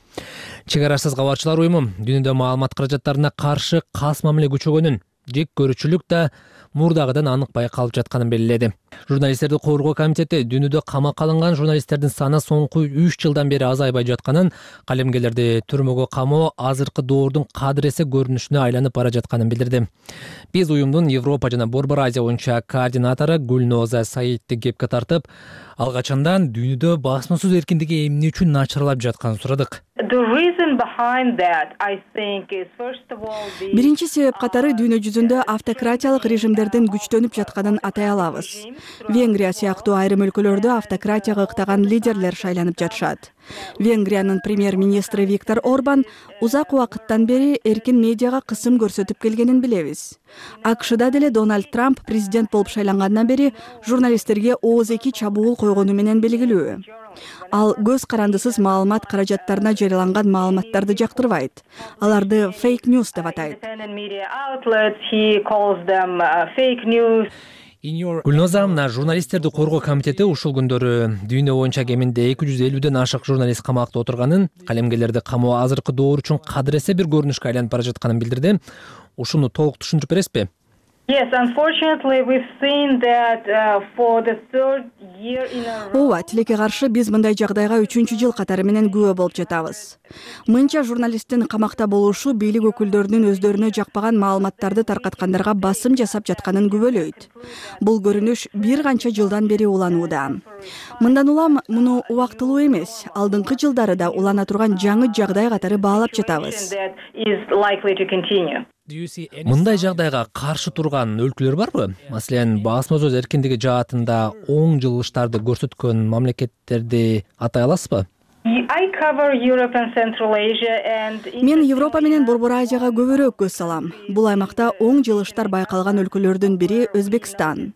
Чек арасыз кабарчылар уюму дүйнөдө маалымат каражаттарына каршы кас мамиле күчөгөнүн, жек көрүүчүлүк да мурдагыдан анык байкалып жатканын белгиледи. Журналисттерди коргоо комитети дүйнөдө камакка алынган журналисттердин саны соңку үч жылдан бери азайбай жатканын, калемгерлерди түрмөгө камоо азыркы доордун кадыресе көрүнүшүнө айланып бара жатканын билдирди. Биз уюмдун Европа жана Борбор Азия боюнча координатору Гүлноза Саидти кепке тартып, ал качандан дүйнөдө басма сөз эркиндиги эмне үчүн начарлап жатканын сурадык. Биринчи себеп катары дүйнө жүзүндө автократиялык режимдердин күчтөнүп жатканын атай алабыз. Венгрия сыяктуу айрым өлкөлөрдө автократияга ыктаган лидерлер шайланып жатышат. Венгриянын премьер-министри Виктор Орбан узак убакыттан бери эркин медиага кысым көрсөтүп келгенин билебиз. АКШда деле Дональд Трамп президент болуп шайлангандан бери журналисттерге ооз-эки чабуул койгону менен белгилүү. Ал көз карандысыз маалымат каражаттарына жарыяланган маалыматтарды жактырбайт. Аларды фейк ньюс деп атайт. Гүлноза, мына журналисттерди коргоо комитети ушул күндөрү дүйнө боюнча кеминде эки жүз элүүдөн ашык журналист камакта отурганын, калемгерлерди камоо азыркы доор үчүн кадыресе бир көрүнүшкө айланып бара жатканын билдирди. Ушуну толук түшүндүрүп бересизби? Yes, unfortunately we've seen that uh, for the third year in a row. Ооба, тилекке каршы биз мындай жагдайга үчүнчү жыл катары менен күбө болуп жатабыз. Мынча журналисттин камакта болушу бийлик өкүлдөрүнүн өздөрүнө жакпаган маалыматтарды таркаткандарга басым жасап жатканын күбөлөйт. Бул көрүнүш бир канча жылдан бери уланууда. Мындан улам муну убактылуу эмес, алдыңкы жылдары да улана турган жаңы жагдай катары баалап жатабыз. Мындай жагдайга каршы турган өлкөлөр барбы? Маселен, басма сөз эркиндиги жаатында оң жылыштарды көрсөткөн мамлекеттерди атай аласызбы? Мен Европа менен Борбор Азияга көбүрөөк көз салам. Бул аймакта оң жылыштар байкалган өлкөлөрдүн бири Өзбекстан.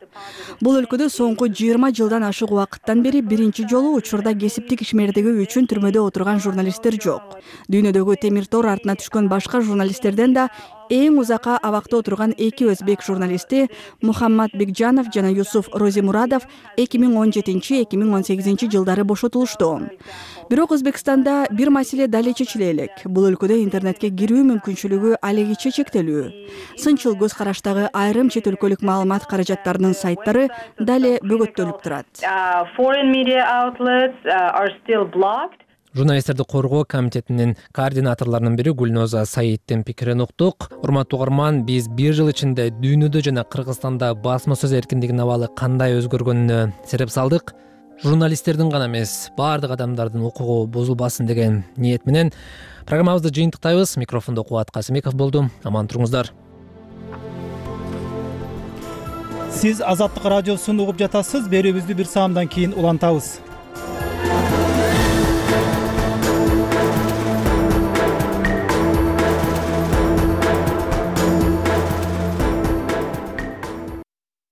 Бул өлкөдө соңку жыйырма жылдан ашык убакыттан бери биринчи жолу учурда кесиптик ишмердиги үчүн түрмөдө отурган журналисттер жок. Дүйнөдөгү темир тор артына түшкөн башка журналисттерден да эң узакка абакта отурган эки өзбек журналисти Мухаммад Бекжанов жана Юсуф Розимурадов эки миң он жетинчи эки миң он сегизинчи жылдары бошотулушту. Бирок Өзбекстанда бир маселе дали чечиле элек. Бул өлкөдө интернетке кирүү мүмкүнчүлүгү алегиче чектелүү. Сынчыл көз караштагы айрым чет өлкөлүк маалымат каражаттарынын сайттары дали бөгөттөлүп турат. Журналисттерди коргоо комитетинин координаторлорунун бири Гүлноза Саиддин пикирин уктук. Урматтуу угарман, биз бир жыл ичинде дүйнөдө жана Кыргызстанда басма сөз эркиндигинин абалы кандай өзгөргөнүнө сереп салдык. Журналисттердин гана эмес, баардык адамдардын укугу бузулбасын деген ниет менен программабызды жыйынтыктайбыз. Микрофондо Кубат Касымбеков болду. Аман туруңуздар. Сиз Азаттык радиосун угуп жатасыз. Берүүбүздү бир саамдан кийин улантабыз.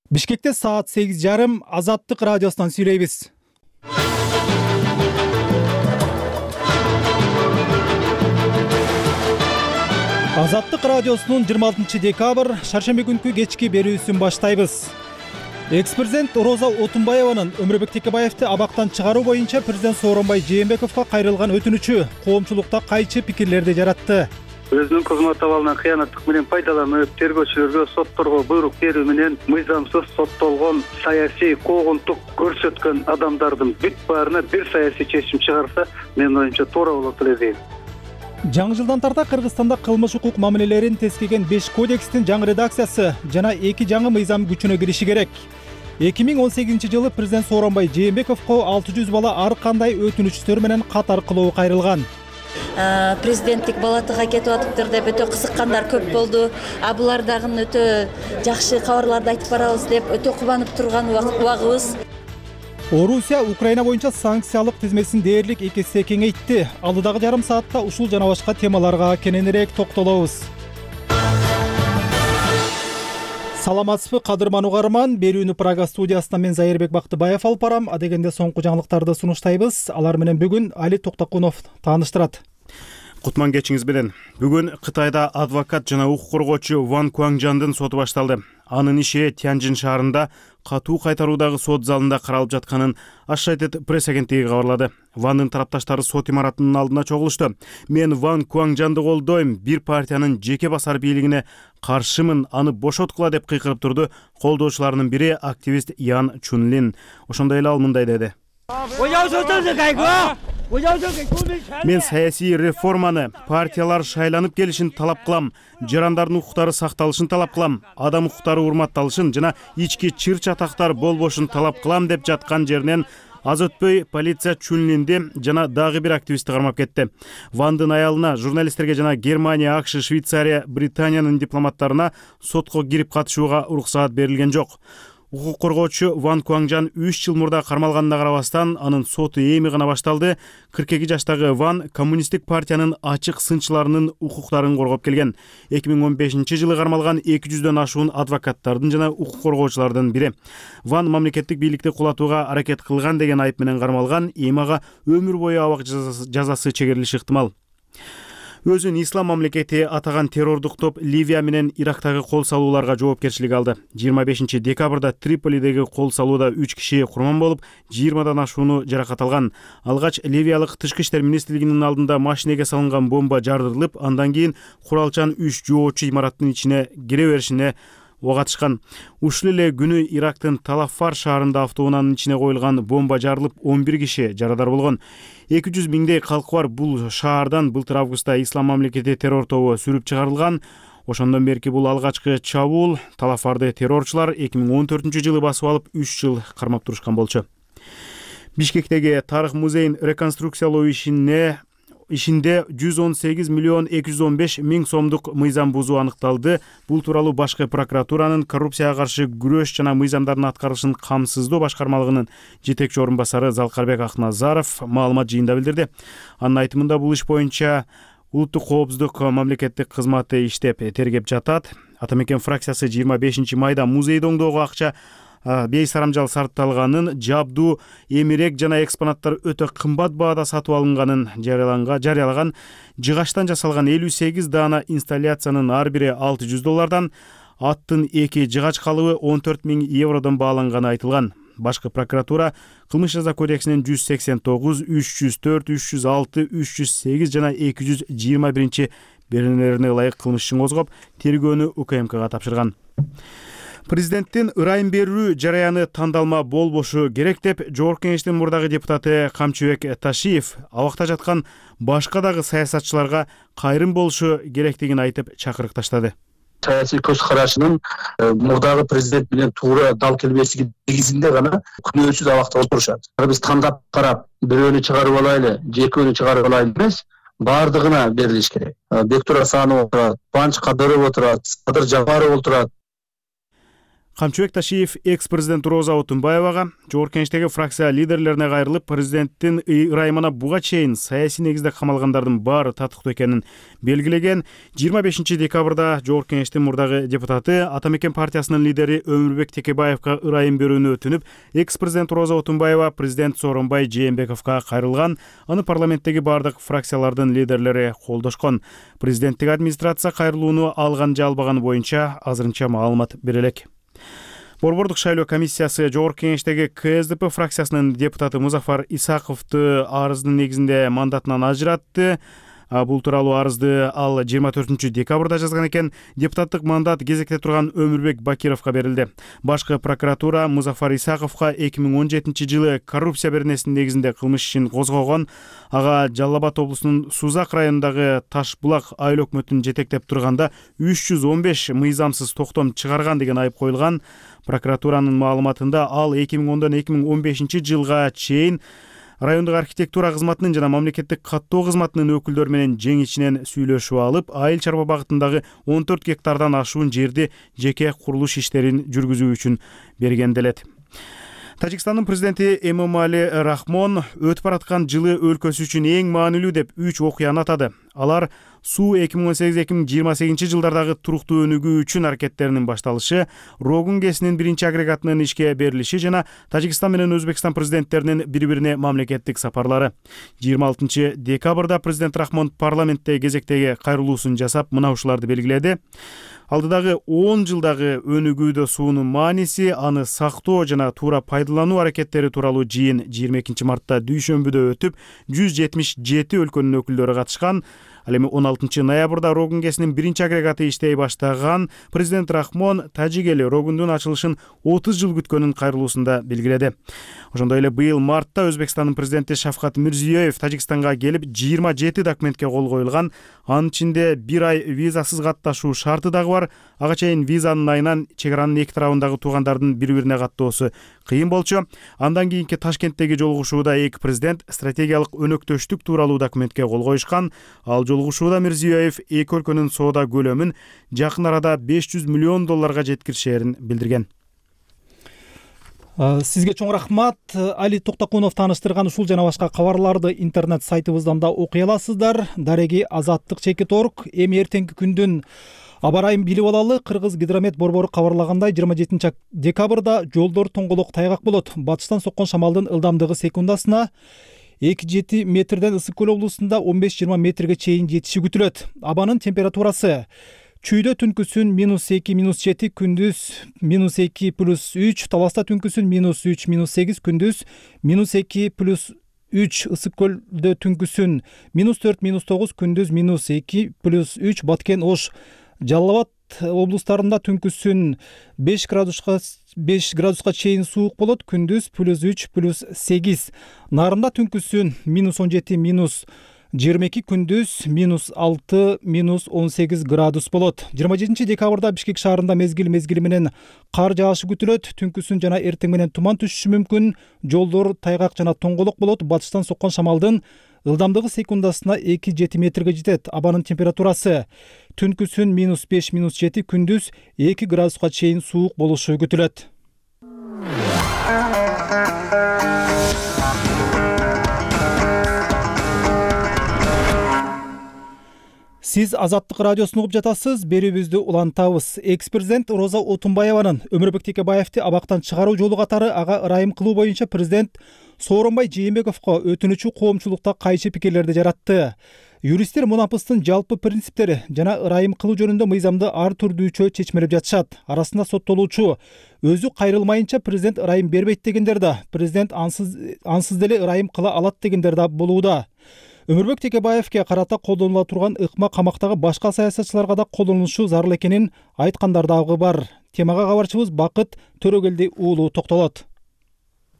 Бишкекте саат сегиз жарым Азаттык радиосунан сүйлөйбүз. Азаттык радиосунун жыйырма алтынчы декабрь шаршемби күнкү кечки берүүсүн баштайбыз. Экс-президент Роза Отунбаеванын Өмүрбек Текебаевди абактан чыгаруу боюнча президент Сооронбай Жээнбековго кайрылган өтүнүчү коомчулукта кайчы пикирлерди жаратты. Өзүнүн кызмат абалынан кыянаттык менен пайдаланып, тергөөчүлөргө, сотторго буйрук берүү менен мыйзамсыз соттолгон, саясий куугунтук көрсөткөн адамдардын бүт баарына бир саясий чечим чыгарса, менин оюмча туура болот эле дейм. Жаңы жылдан тарта Кыргызстанда кылмыш укук мамилелерин тескеген беш кодекстин жаңы редакциясы жана эки жаңы мыйзам күчүнө кириши керек. эки миң он сегизинчи жылы президент Сооронбай Жээнбековго алты жүз бала ар кандай өтүнүчтөр менен кат аркылуу кайрылган. Президенттик балатыга кетип атыптыр деп өтө кызыккандар көп болду. А булар дагы өтө жакшы кабарларды айтып барабыз деп өтө кубанып турган убагыбыз. Орусия Украина боюнча санкциялык тизмесин дээрлик эки эсе кеңейтти. Алдыдагы жарым саатта ушул жана башка темаларга кененирээк токтолобуз. Саламатсызбы кадырман угарман, берүүнү Прага студиясынан мен Зайырбек Бактыбаев алып барам. Адегенде соңку жаңылыктарды сунуштайбыз. Алар менен бүгүн Али Токтокунов тааныштырат. Кутман кечиңиз менен. Бүгүн Кытайда адвокат жана укук коргоочу Ван Куаңжандын соту башталды. Анын иши Тяньжин шаарында катуу кайтаруудагы сот залында каралып жатканын Associated Press агенттиги кабарлады. Вандын тарапташтары сот имаратынын алдына чогулушту. Мен Ван Куаңжанды колдойм, бир партиянын жеке басар бийлигине каршымын, аны бошоткула деп кыйкырып турду колдоочуларынын бири активист Ян Чунлин. Ошондой эле ал мындай деди. Мен саясий реформаны, партиялар шайланып келишин талап кылам, жарандардын укуктары сакталышын талап кылам, адам укуктары урматталышын жана ички чыр чатактар болбошун талап кылам деп жаткан жеринен аз өтпөй полиция Чунлинди жана дагы бир активистти кармап кетти. Вандын аялына, журналисттерге жана Германия, АКШ, Швейцария, Британиянын дипломаттарына сотко кирип катышууга уруксаат берилген жок. Укук коргоочу Ван Куаңжан үч жыл мурда кармалганына карабастан анын соту эми гана башталды. кырк эки жаштагы Ван коммунисттик партиянын ачык сынчыларынын укуктарын коргоп келген. эки миң он бешинчи жылы кармалган эки жүздөн ашуун адвокаттардын жана укук коргоочулардын бири. Ван мамлекеттик бийликти кулатууга аракет кылган деген айып менен кармалган, эми ага өмүр бою абак жазасы чегерилиши ыктымал. Өзүн ислам мамлекети атаган террордук топ Ливия менен Ирактагы кол салууларга жоопкерчилик алды. жыйырма бешинчи декабрда Триполидеги кол салууда үч киши курман болуп, жыйырмадан ашууну жаракат алган. Алгач Ливиялык тышкы иштер министрлигинин алдында машинеге салынган бомба жардырылып, андан кийин куралчан үч жоочу имараттын ичине кире беришине ок атышкан. Ушул эле күнү Ирактын Талаффар шаарында автоунаанын ичине коюлган бомба жарылып, он бир киши жарадар болгон. эки жүз миңдей калкы бар бул шаардан былтыр августта ислам мамлекети террор тобу сүрүп чыгарылган. Ошондон берки бул алгачкы чабуул. Талаффарды террорчулар эки миң он төртүнчү жылы басып алып, үч жыл кармап турушкан болчу. Бишкектеги тарых музейин реконструкциялоо ишине ишинде жүз он сегиз миллион эки жүз он беш миң сомдук мыйзам бузуу аныкталды. Бул тууралуу башкы прокуратуранын коррупцияга каршы күрөш жана мыйзамдардын аткарылышын камсыздоо башкармалыгынын жетекчи орун басары Залкарбек Акназаров маалымат жыйында билдирди. Анын айтымында бул иш боюнча улуттук коопсуздук мамлекеттик кызматы иштеп тергеп жатат. Ата мекен фракциясы жыйырма бешинчи майда музейди оңдоого акча бейсарамжал сарпталганын, жабдуу, эмерек жана экспонаттар өтө кымбат баада сатып алынганын жарыялаган. Жыгачтан жасалган элүү сегиз даана инсталляциянын ар бири алты жүз доллардан, аттын эки жыгач калыбы он төрт миң евродон бааланганы айтылган. Башкы прокуратура кылмыш жаза кодексинин жүз сексен тогуз, үч жүз төрт, үч жүз алты, үч жүз сегиз жана эки жүз жыйырма биринчи беренелерине ылайык кылмыш ишин козгоп, тергөөнү УКМКга тапшырган. Президенттин ырайым берүү жараяны тандалма болбошу керек деп Жогорку Кеңештин мурдагы депутаты Камчыбек Ташиев абакта жаткан башка дагы саясатчыларга кайрым болушу керектигин айтып чакырык таштады. Саясий көз карашынын мурдагы президент менен туура дал келбеси негизинде гана күнөөсүз абакта отурушат. Биз тандап карап, бирөөнү чыгарып алайлы, же экөөнү чыгарып алайлы эмес, баардыгына берилиш керек. Бектур Асанов отурат, Кубаныч Кадыров отурат, Садыр Жапаров отурат. Камчыбек Ташиев экс-президент Роза Отунбаевага, Жогорку Кеңештеги фракция лидерлерине кайрылып, президенттин ырайымына буга чейин саясий негизде камалгандардын баары татыктуу экенин белгилеген. жыйырма бешинчи декабрда Жогорку Кеңештин мурдагы депутаты Ата Мекен партиясынын лидери Өмүрбек Текебаевга ырайым берүүнү өтүнүп, экс-президент Роза Отунбаева президент Сооронбай Жээнбековго кайрылган. Аны парламенттеги бардык фракциялардын лидерлери колдошкон. Президенттик администрация кайрылууну алган же албаганы боюнча азырынча маалымат бере элек. Борбордук шайлоо комиссиясы Жогорку Кеңештеги КСДП фракциясынын депутаты Музафар Исаковду арыздын негизинде мандатынан ажыратты. Бул тууралуу арызды ал жыйырма төртүнчү декабрда жазган экен. Депутаттык мандат кезекте турган Өмүрбек Бакировго берилди. Башкы прокуратура Музафар Исаковго эки миң он жетинчи жылы коррупция беренесинин негизинде кылмыш ишин козгогон. Ага Жалал Абад облусунун Сузак районундагы Таш булак айыл өкмөтүн жетектеп турганда үч жүз он беш мыйзамсыз токтом чыгарган деген айып коюлган. Прокуратуранын маалыматында ал эки миң ондон эки миң он бешинчи жылга чейин райондук архитектура кызматынын жана мамлекеттик каттоо кызматынын өкүлдөрү менен жең ичинен сүйлөшүп алып, айыл чарба багытындагы он төрт гектардан ашуун жерди жеке курулуш иштерин жүргүзүү үчүн берген делет. Тажикстандын президенти Эмомали Рахмон өтүп бараткан жылы өлкөсү үчүн эң маанилүү деп үч окуяны атады. Алар суу эки миң он сегиз эки миң жыйырма сегизинчи жылдардагы туруктуу өнүгүү үчүн аракеттеринин башталышы, Рогун КЭСинин биринчи агрегатынын ишке берилиши жана Тажикстан менен Өзбекстан президенттеринин бири-бирине мамлекеттик сапарлары. жыйырма алтынчы декабрда президент Рахмон парламентте кезектеги кайрылуусун жасап, мына ушуларды белгиледи. Алдыдагы он жылдагы өнүгүүдө суунун мааниси, аны сактоо жана туура пайдалануу аракеттери тууралуу жыйын жыйырма экинчи мартта Дүйшөмбүдө өтүп, жүз жетимиш жети өлкөнүн өкүлдөрү катышкан. Ал эми он алтынчы ноябрда Рогун КЭСинин биринчи агрегаты иштей баштаган. Президент Рахмон тажик эли Рогундун ачылышын отуз жыл күткөнүн кайрылуусунда белгиледи. Ошондой эле быйыл мартта Өзбекстандын президенти Шавкат Мирзиёев Тажикстанга келип, жыйырма жети документке кол коюлган. Анын ичинде бир ай визасыз катташуу шарты дагы бар. Ага чейин визанын айынан чек аранын эки тарабындагы туугандардын бири-бирине каттоосу кыйын болчу. Андан кийинки Ташкенттеги жолугушууда эки президент стратегиялык өнөктөштүк тууралуу документке кол коюшкан. Ал жолугушууда Мирзиёев эки өлкөнүн соода көлөмүн жакын арада беш жүз миллион долларга жеткиришерин билдирген. Сизге чоң рахмат. Али Токтокунов тааныштырган ушул жана башка кабарларды интернет сайтыбыздан да окуй аласыздар. Дареги Азаттык чекит точка орг. Эми эртеңки күндүн аба ырайын билип алалы. Кыргыз гидромет борбору кабарлагандай, жыйырма жетинчи декабрда жолдор тоңголок тайгак болот. Батыштан соккон шамалдын ылдамдыгы секундасына эки жети метрден Ысык көл облусунда он беш жыйырма метрге чейин жетиши күтүлөт. Абанын температурасы чүйдө түнкүсүн минус эки минус жети, күндүз минус эки плюс үч, Таласта түнкүсүн минус үч минус сегиз, күндүз минус эки плюс үч, Ысык көлдө түнкүсүн минус төрт минус тогуз, күндүз минус эки плюс үч, Баткен, Ош, Жалал Абад облустарында түнкүсүн беш градуска беш градуска чейин суук болот, күндүз плюс үч плюс сегиз. Нарында түнкүсүн минус он жети минус жыйырма эки, күндүз минус алты минус он сегиз градус болот. жыйырма жетинчи декабрда Бишкек шаарында мезгил мезгили менен кар жаашы күтүлөт. Түнкүсүн жана эртең менен туман түшүшү мүмкүн. Жолдор тайгак жана тоңголок болот. Батыштан соккон шамалдын ылдамдыгы секундасына эки жети метрге жетет. Абанын температурасы түнкүсүн минус беш минус жети, күндүз эки градуска чейин суук болушу күтүлөт. Сиз Азаттык радиосун угуп жатасыз. Берүүбүздү улантабыз. Экс-президент Роза Отунбаеванын Өмүрбек Текебаевди абактан чыгаруу жолу катары ага ырайым кылуу боюнча президент Сооронбай Жээнбековго өтүнүчү коомчулукта кайчы пикирлерди жаратты. Юристтер мунапыстын жалпы принциптери жана ырайым кылуу жөнүндө мыйзамды ар түрдүүчө чечмелеп жатышат. Арасында соттолуучу өзү кайрылмайынча президент ырайым бербейт дегендер да, президент ансыз ансыз деле ырайым кыла алат дегендер да болууда. Өмүрбек Текебаевге карата колдонула турган ыкма камактагы башка саясатчыларга да колдонулушу зарыл экенин айткандар дагы бар. Темага кабарчыбыз Бакыт Төрөгелди уулу токтолот.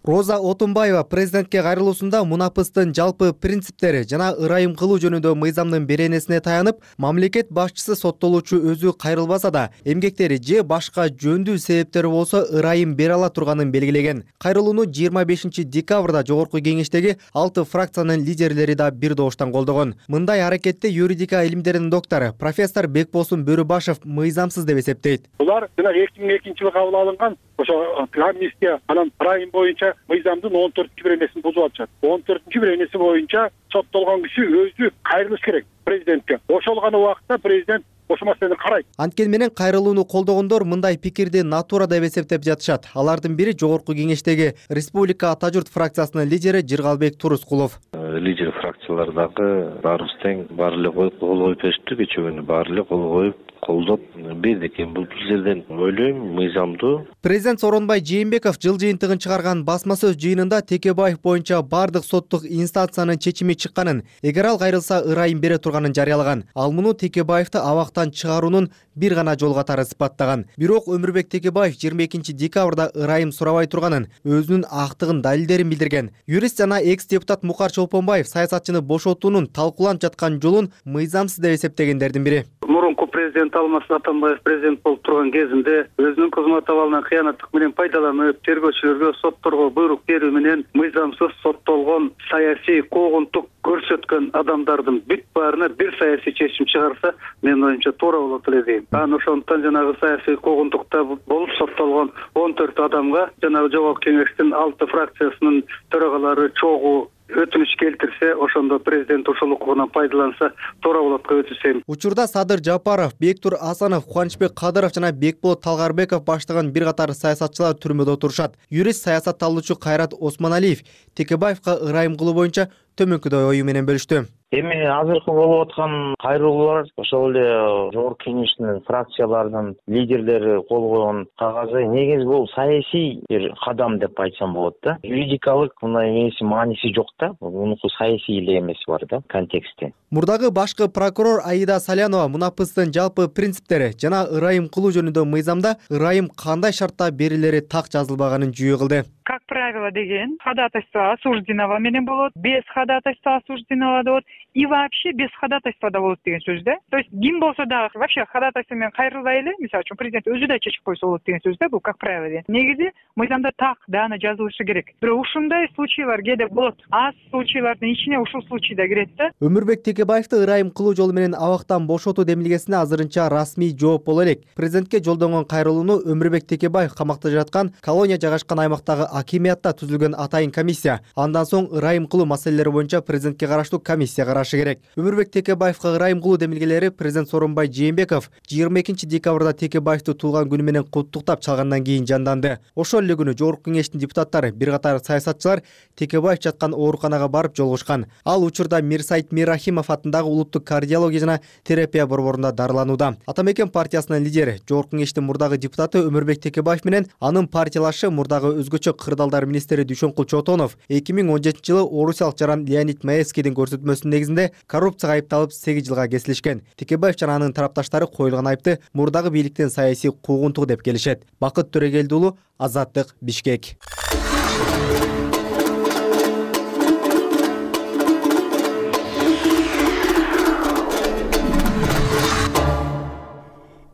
Роза Отунбаева президентке кайрылуусунда мунапыстын жалпы принциптери жана ырайым кылуу жөнүндө мыйзамдын беренесине таянып, мамлекет башчысы соттолуучу өзү кайрылбаса да, эмгектери же башка жөндүү себептери болсо ырайым бере ала турганын белгилеген. Кайрылууну жыйырма бешинчи декабрда жогорку кеңештеги алты фракциянын лидерлери да бир добуштан колдогон. Мындай аракетти юридика илимдеринин доктору профессор Бекбосун Бөрүбашев мыйзамсыз деп эсептейт. Булар жана эки миң экинчи жылы кабыл алынган ошо амнистия анан ырайым боюнча мыйзамдын он төртүнчү беренесин бузуп атышат. он төртүнчү беренеси боюнча соттолгон киши өзү кайрылыш керек президентке. Ошол гана убакытта президент ошо маселени карайт. Анткени менен кайрылууну колдогондор мындай пикирди натура деп эсептеп жатышат. Алардын бири жогорку кеңештеги Республика Ата журт фракциясынын лидери Жыргалбек Турускулов. Лидер фракциялар дагы баарыбыз тең баары эле кол коюп беришти, кечээ күнү баары эле кол коюп колдоп берди экен. Бул сиздерден ойлойм мыйзамдуу. Президент Сооронбай Жээнбеков жыл жыйынтыгын чыгарган басма сөз жыйынында Текебаев боюнча бардык соттук инстанциянын чечими чыкканын, эгер ал кайрылса ырайым бере турганын жарыялаган. Ал муну Текебаевди абактан чыгаруунун бир гана жол катары сыпаттаган. Бирок Өмүрбек Текебаев жыйырма экинчи декабрда ырайым сурабай турганын, өзүнүн актыгын далилдерин билдирген. Юрист жана экс-депутат Мукар Чолпонбаев саясатчыны бошотуунун талкууланып жаткан жолун мыйзамсыз деп эсептегендердин бири. Мурунку президент Алмаз Атамбаев президент болуп турган кезинде өзүнүн кызмат абалынан кыянаттык менен пайдаланып, тергөөчүлөргө, сотторго буйрук берүү менен мыйзамсыз соттолгон, саясий куугунтук көрсөткөн адамдардын бүт баарына бир саясий чечим чыгарса, менин оюмча туура болот эле дейм. Анан ошондуктан жанагы саясий куугунтукта болуп соттолгон он төрт адамга жанагы жогорку кеңештин алты фракциясынын төрагалары чогуу өтүнүч келтирсе, ошондо президент ушул укугунан пайдаланса туура болот деп өтүнсөм. Учурда Садыр Жапаров, Бектур Асанов, Кубанычбек Кадыров жана Бекболот Талгарбеков баштаган бир катар саясатчылар түрмөдө отурушат. Юрист саясатталуучу Кайрат Осмоналиев Текебаевга ырайым кылуу боюнча төмөнкүдөй ою менен бөлүштү. Эми азыркы болуп аткан кайрылуулар ошол эле жогорку кеңештин фракцияларынын лидерлери кол койгон кагазы негизи бул саясий бир кадам деп айтсам болот да. Юридикалык мындай эмеси мааниси жок да. Мунуку саясий эле эмеси бар да, контексти. Мурдагы башкы прокурор Аида Салянова мунапыстын жалпы принциптери жана ырайым кылуу жөнүндө мыйзамда ырайым кандай шартта берилери так жазылбаганын жүйө кылды. Как правило деген, ходатайство осужденного менен болот, без ходатайства осужденного болот и вообще без ходатайства да болот деген сөз да. То есть ким болсо да вообще ходатайство менен кайрылбай эле, мисалы үчүн президент өзү да чечип койсо болот деген сөз да, бул как правило деген. Негизи мыйзамда так даана жазылышы керек. Бирок ушундай случайлар кээде болот. Аз случайлардын ичине ушул случай да кирет да. Өмүрбек Текебаевди ырайым кылуу жолу менен абактан бошотуу демилгесине азырынча расмий жооп боло элек. Президентке жолдонгон кайрылууну Өмүрбек Текебаев камакта жаткан колония жайгашкан аймактагы акимиятта түзүлгөн атайын комиссия. Андан соң ырайым кылуу маселелери боюнча президентке караштуу комиссия карашы керек. Өмүрбек Текебаевга ырайым кылуу демилгелери президент Сооронбай Жээнбеков жыйырма экинчи декабрда Текебаевди туулган күнү менен куттуктап чалгандан кийин жанданды. Ошол эле күнү жогорку кеңештин депутаттары, бир катар саясатчылар Текебаев жаткан ооруканага барып жолугушкан. Ал учурда Мирсайит Миррахимов атындагы улуттук кардиология жана терапия борборунда дарыланууда. Атамекен партиясынын лидери, жогорку кеңештин мурдагы депутаты Өмүрбек Текебаев менен анын партиялашы мурдагы өзгөчө кырдаалдар министри Дүйшөнкул Чотонов эки миң он жетинчи жылы орусиялык жаран Леонид Маевскийдин көрсөтмөсүнүн негизинде коррупцияга айыпталып сегиз жылга кесилишкен. Текебаев жана анын тарапташтары коюлган айыпты мурдагы бийликтин саясий куугунтугу деп келишет. Бакыт Төрөгелди уулу, Азаттык, Бишкек.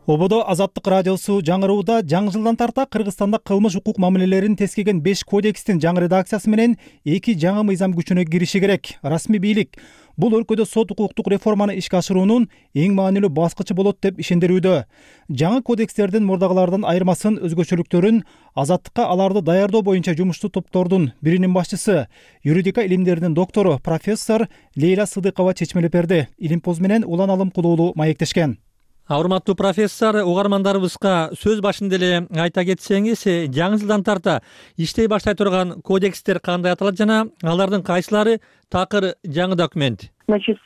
Ободо Азаттык радиосу жаңырууда жаңы жылдан тарта Кыргызстанда кылмыш укук мамилелерин тескеген беш кодекстин жаңы редакциясы менен эки жаңы мыйзам күчүнө кириши керек. Расмий бийлик бул өлкөдө сот укуктук реформаны ишке ашыруунун эң маанилүү баскычы болот деп ишендирүүдө. Жаңы кодекстердин мурдагылардан айырмасын, өзгөчөлүктөрүн, азаттыкка аларды даярдоо боюнча жумуштуу топтордун биринин башчысы, юридика илимдеринин доктору профессор Лейла Сыдыкова чечмелеп берди. Илимпоз менен Улан Алымкулуулу маектешкен. Урматтуу профессор, угармандарыбызга сөз башында эле айта кетсеңиз, жаңы жылдан тарта иштей баштай турган кодекстер кандай аталат жана алардын кайсылары такыр жаңы документ? Значит,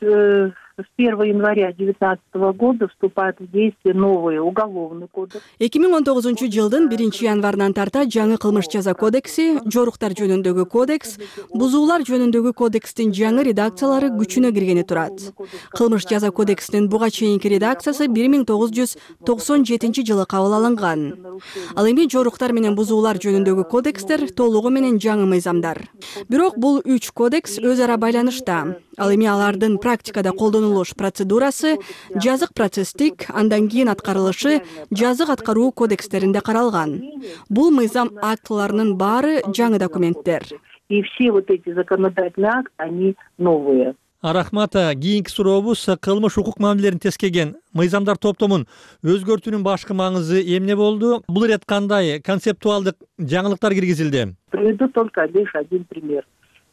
с первого января две тысячи девятнадцатого года вступает в действие новый уголовный кодекс. эки миң он тогузунчу жылдын биринчи январынан тарта жаңы кылмыш жаза кодекси, жоруктар жөнүндөгү кодекс, бузуулар жөнүндөгү кодекстин жаңы редакциялары күчүнө киргени турат. Кылмыш жаза кодексинин буга чейинки редакциясы бир миң тогуз жүз токсон жетинчи жылы кабыл алынган. Ал эми жоруктар менен бузуулар жөнүндөгү кодекстер толугу менен жаңы мыйзамдар. Бирок бул үч кодекс өз ара байланышта. Ал эми алардын практикада колдонулуш процедурасы, жазык процесстик, андан кийин аткарылышы жазык аткаруу кодекстеринде каралган. Бул мыйзам актыларынын баары жаңы документтер. И все вот эти законодательные акты, они новые. Рахмат, кийинки сурообуз кылмыш укук мамилелерин тескеген мыйзамдар топтомун өзгөртүүнүн башкы маңызы эмне болду? Бул ирет кандай концептуалдык жаңылыктар киргизилди? Приведу только лишь один пример.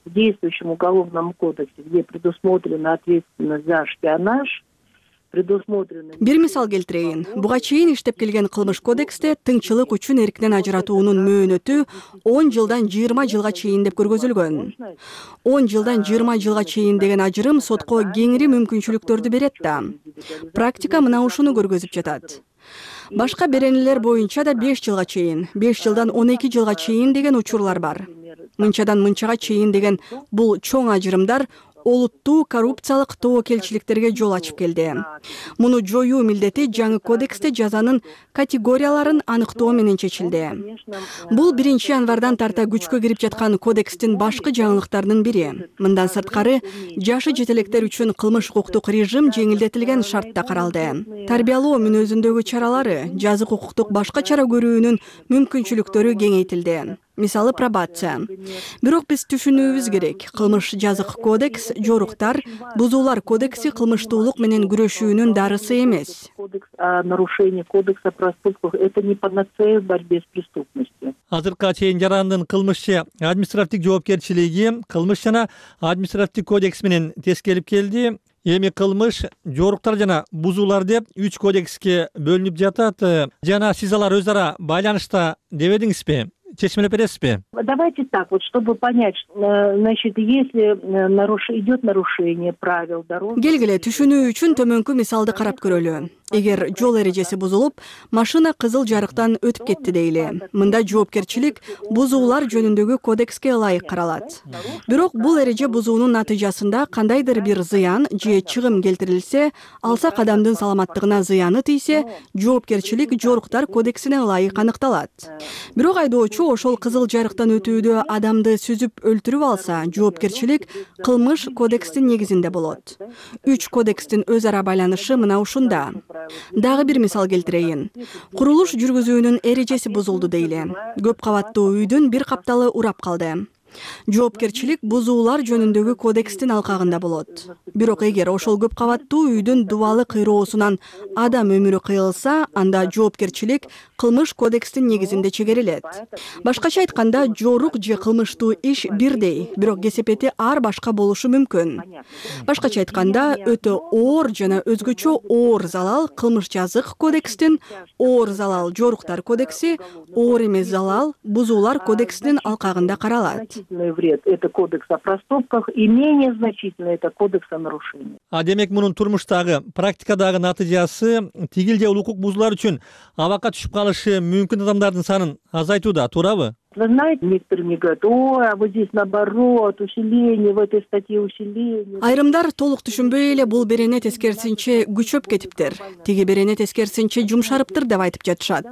В действующем уголовном кодексе, где предусмотрена ответственность за шпионаж, предусмотрена... Бир мисал келтирейин. Буга чейин иштеп келген кылмыш кодексте тыңчылык үчүн эрктен ажыратуунун мөөнөтү он жылдан жыйырма жылга чейин деп көргөзүлгөн. он жылдан жыйырма жылга чейин деген ажырым сотко кеңири мүмкүнчүлүктөрдү берет да. Практика мына ушуну көргөзүп жатат. Башка беренелер боюнча да беш жылга чейин, беш жылдан он эки жылга чейин деген учурлар бар. Мынчадан мынчага чейин деген бул чоң ажырымдар олуттуу коррупциялык тобокелчиликтерге жол ачып келди. Муну жоюу милдети жаңы кодексте жазанын категорияларын аныктоо менен чечилди. Бул биринчи январдан тарта күчкө кирип жаткан кодекстин башкы жаңылыктарынын бири. Мындан сырткары, жашы жетелектер үчүн кылмыш укуктук режим жеңилдетилген шартта каралды. Тарбиялоо мүнөзүндөгү чаралары, жазык укуктук башка чара көрүүнүн мүмкүнчүлүктөрү кеңейтилди. Мисалы пробация. Бирок биз түшүнүүбүз керек. Кылмыш жазык кодекс, жоруктар, бузуулар кодекси кылмыштуулук менен күрөшүүнүн дарысы эмес. Кодекс о нарушении кодекса проступков — это не панацея в борьбе с преступностью. Азыркыга чейин жарандын кылмышчы административдик жоопкерчилиги кылмыш жана административдик кодекс менен тескелип келди. Эми кылмыш, жоруктар жана бузуулар деп үч кодекске бөлүнүп жатат. Жана сиз алар өз ара байланышта дебедиңизби? Чечмелеп бересизби? Давайте так, вот чтобы понять, значит, если наруш... идет нарушение правил дороги... Келгиле түшүнүү үчүн төмөнкү мисалды карап көрөлү. Эгер жол эрежеси бузулуп, машина кызыл жарыктан өтүп кетти дейли. Мында жоопкерчилик бузуулар жөнүндөгү кодекске ылайык каралат. Бирок бул эреже бузуунун натыйжасында кандайдыр бир зыян же чыгым келтирилсе, алсак адамдын саламаттыгына зыяны тийсе, жоопкерчилик жоруктар кодексине ылайык аныкталат. Бирок айдоочу ошол кызыл жарыктан өтүүдө адамды сүзүп өлтүрүп алса, жоопкерчилик кылмыш кодекстин негизинде болот. Үч кодекстин өз ара байланышы мына ушунда. Дагы бир мисал келтирейин. Курулуш жүргүзүүнүн эрежеси бузулду дейли. Көп кабаттуу үйдүн бир капталы урап калды. Жоопкерчилик бузуулар жөнүндөгү кодекстин алкагында болот. Бирок эгер ошол көп кабаттуу үйдүн дубалы кыйроосунан адам өмүрү кыйылса, анда жоопкерчилик кылмыш кодекстин негизинде чегерилет. Башкача айтканда, жорук же кылмыштуу иш бирдей, бирок кесепети ар башка болушу мүмкүн. Башкача айтканда, өтө оор жана өзгөчө оор залал кылмыш жазык кодекстин, оор залал жоруктар кодекси, оор эмес залал бузуулар кодексинин алкагында каралат. Вред — это кодекс о проступках, и менее значительно — это кодекс о нарушениях. А демек мунун турмуштагы, практикадагы натыйжасы тигил же укук бузуулар үчүн абакка түшүп калышы мүмкүн адамдардын санын азайтууда, туурабы? Вы знаете, некоторые мне говорят: ой, а вот здесь наоборот, усиление, в этой статье усиление. Айрымдар толук түшүнбөй эле бул берене тескерисинче күчөп кетиптир, тиги берене тескерисинче жумшарыптыр деп айтып жатышат.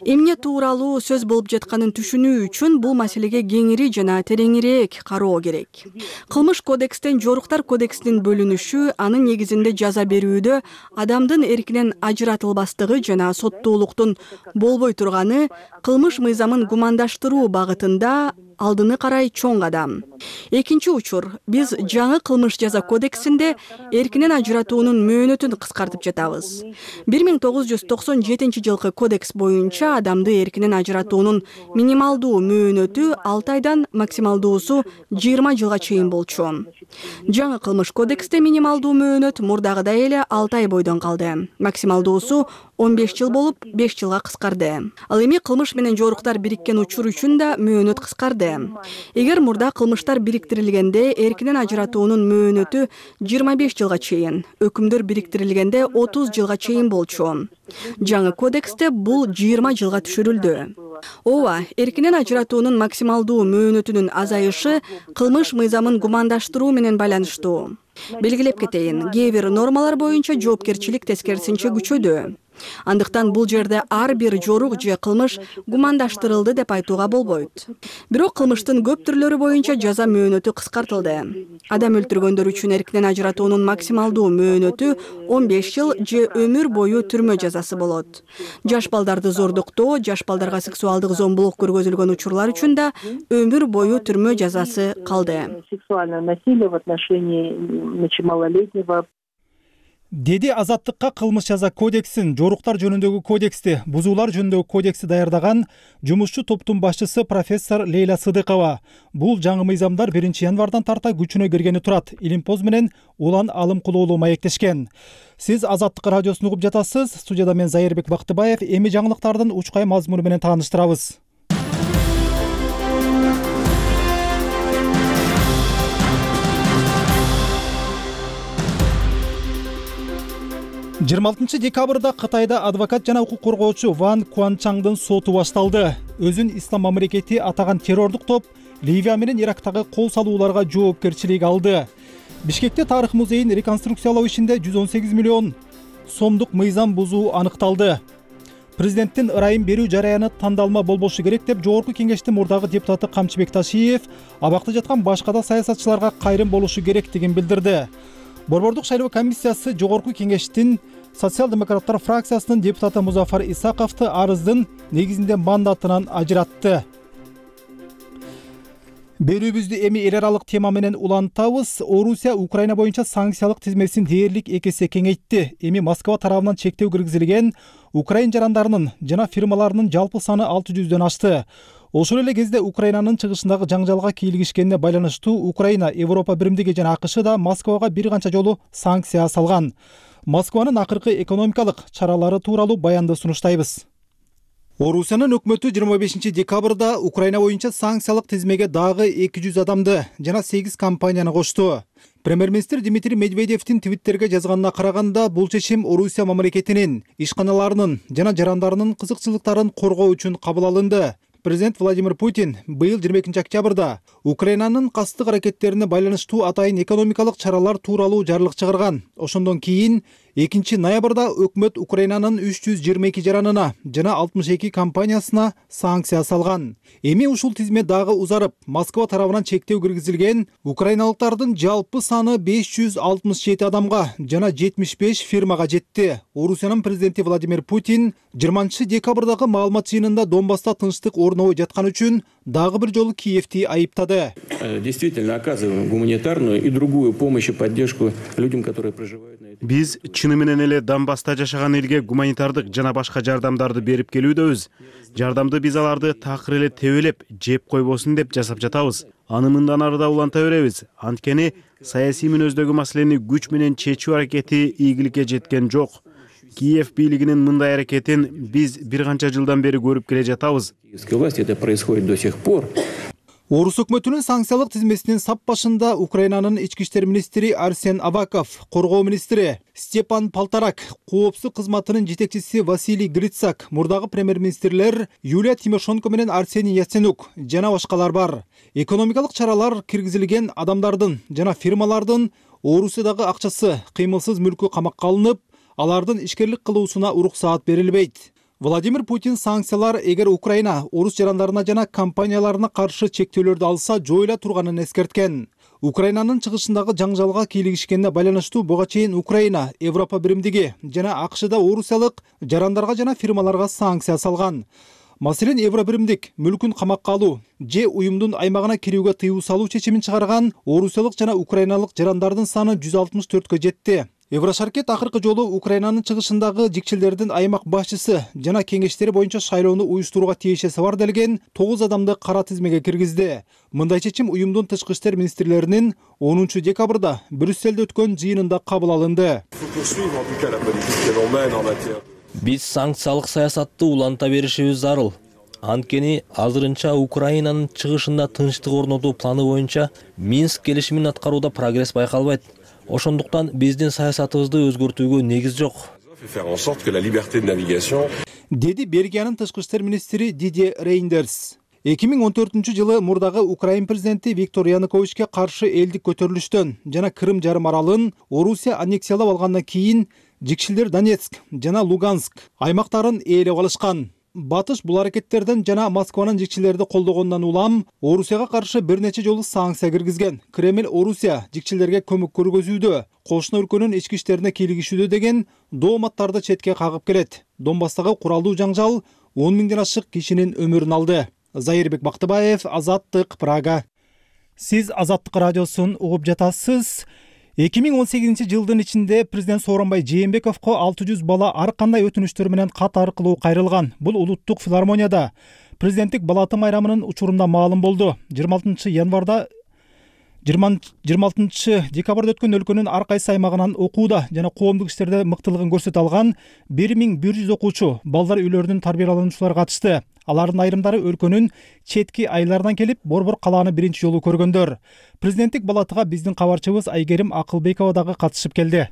Эмне тууралуу сөз болуп жатканын түшүнүү үчүн бул маселеге кеңири жана тереңирээк кароо керек. Кылмыш кодекстен жоруктар кодексинин бөлүнүшү анын негизинде жаза берүүдө адамдын эркинен ажыратылбастыгы жана соттуулуктун болбой турганы кылмыш мыйзамын гумандаштыруу багытында алдыны карай чоң кадам. Экинчи учур, биз жаңы кылмыш жаза кодексинде эркинен ажыратуунун мөөнөтүн кыскартып жатабыз. бир миң тогуз жүз токсон жетинчи жылкы кодекс боюнча адамды эркинен ажыратуунун минималдуу мөөнөтү алты айдан максималдуусу жыйырма жылга чейин болчу. Жаңы кылмыш кодексте минималдуу мөөнөт мурдагыдай эле алты ай бойдон калды. Максималдуусу он беш жыл болуп, беш жылга кыскарды. Ал эми кылмыш менен жоруктар бириккен учур үчүн да мөөнөт кыскарды. Эгер мурда кылмыштар бириктирилгенде эркинен ажыратуунун мөөнөтү жыйырма беш жылга чейин, өкүмдөр бириктирилгенде отуз жылга чейин болчу. Жаңы кодексте бул жыйырма жылга түшүрүлдү. Ооба, эркинен ажыратуунун максималдуу мөөнөтүнүн азайышы кылмыш мыйзамын гумандаштыруу менен байланыштуу. Белгилеп кетейин, кээ бир нормалар боюнча жоопкерчилик тескерисинче күчөдү. Андыктан бул жерде ар бир жорук же кылмыш гумандаштырылды деп айтууга болбойт. Бирок кылмыштын көп түрлөрү боюнча жаза мөөнөтү кыскартылды. Адам өлтүргөндөр үчүн эркинен ажыратуунун максималдуу мөөнөтү он беш жыл же өмүр бою түрмө жазасы болот. Жаш балдарды зордуктоо, жаш балдарга сексуалдык зомбулук көргөзүлгөн учурлар үчүн да өмүр бою түрмө жазасы калды. Сексуальное насилие в отношении малолетнего. Деди Азаттыкка кылмыш жаза кодексин, жоруктар жөнүндөгү кодексти, бузуулар жөнүндөгү кодексти даярдаган жумушчу топтун башчысы профессор Лейла Сыдыкова. Бул жаңы мыйзамдар биринчи январдан тарта күчүнө киргени турат. Илимпоз менен Улан Алымкулуулу маектешкен. Сиз Азаттык радиосун угуп жатасыз. Студияда мен Зайырбек Бактыбаев. Эми жаңылыктардын учкай мазмуну менен тааныштырабыз. жыйырма алтынчы декабрда Кытайда адвокат жана укук коргоочу Ван Куанчаңдын соту башталды. Өзүн ислам мамлекети атаган террордук топ Ливия менен Ирактагы кол салууларга жоопкерчилик алды. Бишкекте тарых музейин реконструкциялоо ишинде жүз он сегиз миллион сомдук мыйзам бузуу аныкталды. Президенттин ырайым берүү жараяны тандалма болбошу керек деп Жогорку кеңештин мурдагы депутаты Камчыбек Ташиев абакта жаткан башка да саясатчыларга кайрым болушу керектигин билдирди. Борбордук шайлоо комиссиясы Жогорку кеңештин социал-демократтар фракциясынын депутаты Музафар Исаковду арыздын негизинде мандатынан ажыратты. Берүүбүздү эми эл аралык тема менен улантабыз. Орусия Украина боюнча санкциялык тизмесин дээрлик эки эсе кеңейтти. Эми Москва тарабынан чектөө киргизилген Украин жарандарынын жана фирмаларынын жалпы саны алты жүздөн ашты. Ошол эле кезде Украинанын чыгышындагы жаңжалга кийлигишкенине байланыштуу Украина, Европа биримдиги жана АКШ да Москвага бир канча жолу санкция салган. Москванын акыркы экономикалык чаралары тууралуу баянды сунуштайбыз. Орусиянын өкмөтү жыйырма бешинчи декабрда Украина боюнча санкциялык тизмеге дагы эки жүз адамды жана сегиз компанияны кошту. Премьер-министр Дмитрий Медведевдин твиттерге жазганына караганда, бул чечим Орусия мамлекетинин, ишканаларынын жана жарандарынын кызыкчылыктарын коргоо үчүн кабыл алынды. Президент Владимир Путин быйыл жыйырма экинчи октябрда Украинанын кастык аракеттерине байланыштуу атайын экономикалык чаралар тууралуу жарлык чыгарган. Ошондон кийин экинчи ноябрда өкмөт Украинанын үч жүз жыйырма эки жаранына жана алтымыш эки компаниясына санкция салган. Эми ушул тизме дагы узарып, Москва тарабынан чектөө киргизилген украиналыктардын жалпы саны беш жүз алтымыш жети адамга жана жетимиш беш фирмага жетти. Орусиянын президенти Владимир Путин жыйырманчы декабрдагы маалымат жыйынында Донбасста тынчтык орнобой жаткан үчүн дагы бир жолу Киевти айыптады. Действительно оказываем гуманитарную и другую помощь и поддержку людям, которые проживают на этой. Биз чыны менен эле Донбасста жашаган элге гуманитардык жана башка жардамдарды берип келүүдөбүз. Жардамды биз аларды такыр эле тебелеп, жеп койбосун деп жасап жатабыз. Аны мындан ары да уланта беребиз. Анткени саясий мүнөздөгү маселени күч менен чечүү аракети ийгиликке жеткен жок. Киев бийлигинин мындай аракетин биз бир канча жылдан бери көрүп келе жатабыз. Киевская власть это происходит до сих пор. Орус өкмөтүнүн санкциялык тизмесинин сап башында Украинанын ички иштер министри Арсен Аваков, коргоо министри Степан Полторак, коопсуздук кызматынын жетекчиси Василий Грицак, мурдагы премьер-министрлер Юлия Тимошенко менен Арсений Яценюк жана башкалар бар. Экономикалык чаралар киргизилген адамдардын жана фирмалардын Орусиядагы акчасы, кыймылсыз мүлкү камакка алынып, алардын ишкерлик кылуусуна уруксаат берилбейт. Владимир Путин санкциялар эгер Украина орус жарандарына жана компанияларына каршы чектөөлөрдү алса жоюла турганын эскерткен. Украинанын чыгышындагы жаңжалга кийлигишкенине байланыштуу буга чейин Украина, Европа биримдиги жана АКШда орусиялык жарандарга жана фирмаларга санкция салган. Маселен, Евро биримдик мүлкүн камакка алуу же уюмдун аймагына кирүүгө тыюу салуу чечимин чыгарган орусиялык жана украиналык жарандардын саны жүз алтымыш төрткө жетти. Еврошаркет акыркы жолу Украинанын чыгышындагы жикчилердин аймак башчысы жана кеңештери боюнча шайлоону уюштурууга тиешеси бар делген тогуз адамды кара тизмеге киргизди. Мындай чечим уюмдун тышкы иштер министрлеринин онунчу декабрда Брюсселде өткөн жыйынында кабыл алынды. Биз санкциялык саясатты уланта беришибиз зарыл. Анткени азырынча Украинанын чыгышында тынчтык орнотуу планы боюнча Минск келишимин аткарууда прогресс байкалбайт. Ошондуктан биздин саясатыбызды өзгөртүүгө негиз жок. Деди Бельгиянын тышкы иштер министри Дидье Рейндерс. эки миң он төртүнчү жылы мурдагы Украин президенти Виктор Януковичке каршы элдик көтөрүлүштөн жана Крым жарым аралын Орусия аннексиялап алгандан кийин жикшилдер Донецк жана Луганск аймактарын ээлеп алышкан. Батыш бул аракеттерден жана Москванын жикчилерди колдогондон улам Орусияга каршы бир нече жолу санкция киргизген. Кремль Орусия жикчилерге көмөк көргөзүүдө, кошуна өлкөнүн ички иштерине кийлигишүүдө деген дооматтарды четке кагып келет. Донбасстагы куралдуу жаңжал он миңден ашык кишинин өмүрүн алды. Зайырбек Бактыбаев, Азаттык, Прага. Сиз Азаттык радиосун угуп жатасыз. эки миң он сегизинчи жылдын ичинде президент Сооронбай Жээнбековго алты жүз бала ар кандай өтүнүчтөр менен кат аркылуу кайрылган. Бул улуттук филармонияда президенттик балаты майрамынын учурунда маалым болду. жыйырма алтынчы январда жыйырма алтынчы декабрда өткөн өлкөнүн ар кайсы аймагынан окууда жана коомдук иштерде мыктылыгын көрсөтө алган бир миң бир жүз окуучу, балдар үйлөрүнүн тарбиялануучулары катышты. Алардын айрымдары өлкөнүн четки айларынан келип, Борбор калааны биринчи жолу көргөндөр. Президенттик балатыга биздин кабарчыбыз Айгерим Акылбекова дагы катышып келди.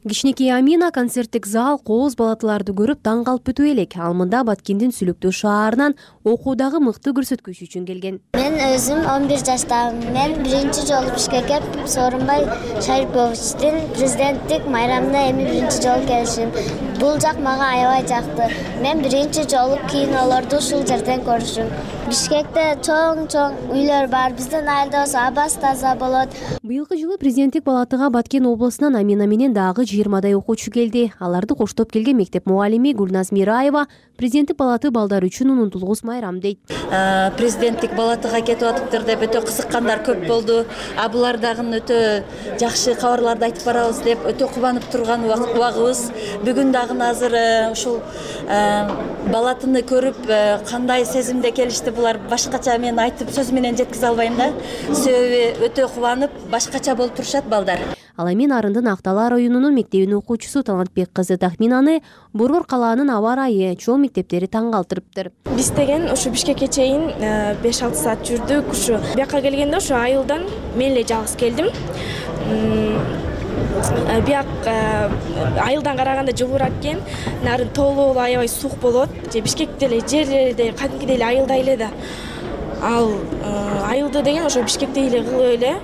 Кичинекей Амина концерттик зал кооз балатыларды көрүп таң калып бүтүп элек. Ал мында Баткендин Сүлүктүү шаарынан окуудагы мыкты көрсөткүч үчүн келген. Мен өзүм он бир жаштамын. Мен биринчи жолу Бишкекке Сооронбай Шариповичтин президенттик майрамына эми биринчи жолу келишим. Бул жак мага аябай жакты. Мен биринчи жолу кинолорду ушул жерден көрүшүм. Бишкекте чоң-чоң үйлөр бар. Биздин айылда болсо абас таза болот. Быйылкы жылы президенттик балатыга Баткен облусунан Амина менен дагы жыйырмадай окуучу келди. Аларды коштоп келген мектеп мугалими Гүлназ Мираева президенттик балаты балдар үчүн унутулгус майрам дейт. Президенттик балатыга кетип атыптыр деп өтө кызыккандар көп болду. А булар дагы өтө жакшы кабарларды айтып барабыз деп өтө кубанып турган убагыбыз. Бүгүн дагы азыр ушул балатыны көрүп кандай сезимде келишти булар, башкача мен айтып сөз менен жеткизе албайм да. Себеби өтө кубанып башкача болуп турушат балдар. Ал эми Нарындын Акталаа районунун мектебинин окуучусу Талантбек кызы Тахминаны Борбор калаанын аба ырайы, чоң мектептери таң калтырыптыр. Биз деген ушу Бишкекке чейин беш алты саат жүрдүк. Ушу бияка келгенде ушу айылдан мен эле жалгыз келдим. Бияк айылдан караганда жылуураак экен. Нарын тоолуу аябай суук болот. Же Бишкекте эле жерлерде кадимкидей эле айылдай эле да. Ал айылды деген ошо Бишкектей эле кылып эле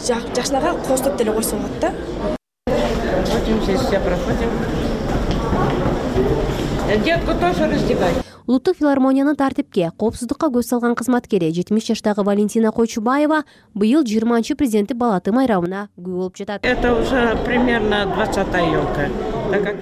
жакшынакай кооздоп деле койсо болот да. Детку тоже раздевай. Улуттук филармониянын тартипке, коопсуздукка көз салган кызматкери жетимиш жаштагы Валентина Койчубаева быйыл жыйырманчы президенттик балаты майрамына күбө болуп жатат. Это уже примерно двадцатая елка.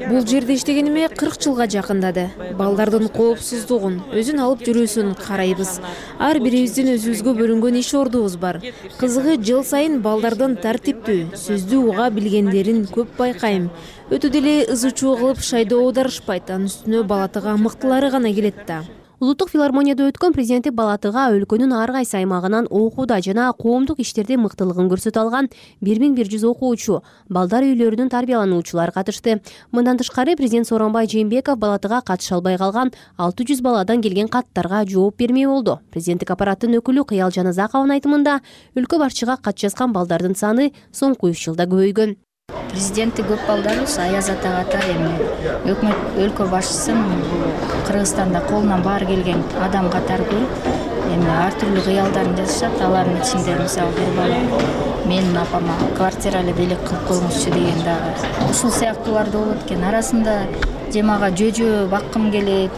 Бул жерде иштегениме кырк жылга жакындады. Балдардын коопсуздугун, өзүн алып жүрүүсүн карайбыз. Ар бирибиздин өзүбүзгө бөлүнгөн иш ордубуз бар. Кызыгы жыл сайын балдардын тартиптүү, сөздү уга билгендерин көп байкайм. Өтө деле ызы чуу кылып шайдоо дарышпайт, анын үстүнө балатыга мыктылары гана келет да. Улуттук филармонияда өткөн президенттик балатыга өлкөнүн ар кайсы аймагынан окууда жана коомдук иштерде мыктылыгын көрсөтө алган бир миң бир жүз окуучу, балдар үйлөрүнүн тарбиялануучулары катышты. Мындан тышкары президент Сооронбай Жээнбеков балатыга катыша албай калган алты жүз баладан келген каттарга жооп бермей болду. Президенттик аппараттын өкүлү Кыял Жаназаковдун айтымында өлкө башчыга кат жазган балдардын саны соңку үч жылда көбөйгөн. Президенти көп балдарыбыз Аяз атага ата эми өкмөт өлкө башчысын Кыргызстанда колунан баары келген адам катары көрүп, эми ар түрдүү кыялдарын жазышат. Алардын ичинде мисалы бир бала менин апама квартира эле белек кылып коюңузчу деген дагы ушул сыяктуулар да болот экен. Арасында же мага жөжө баккым келет,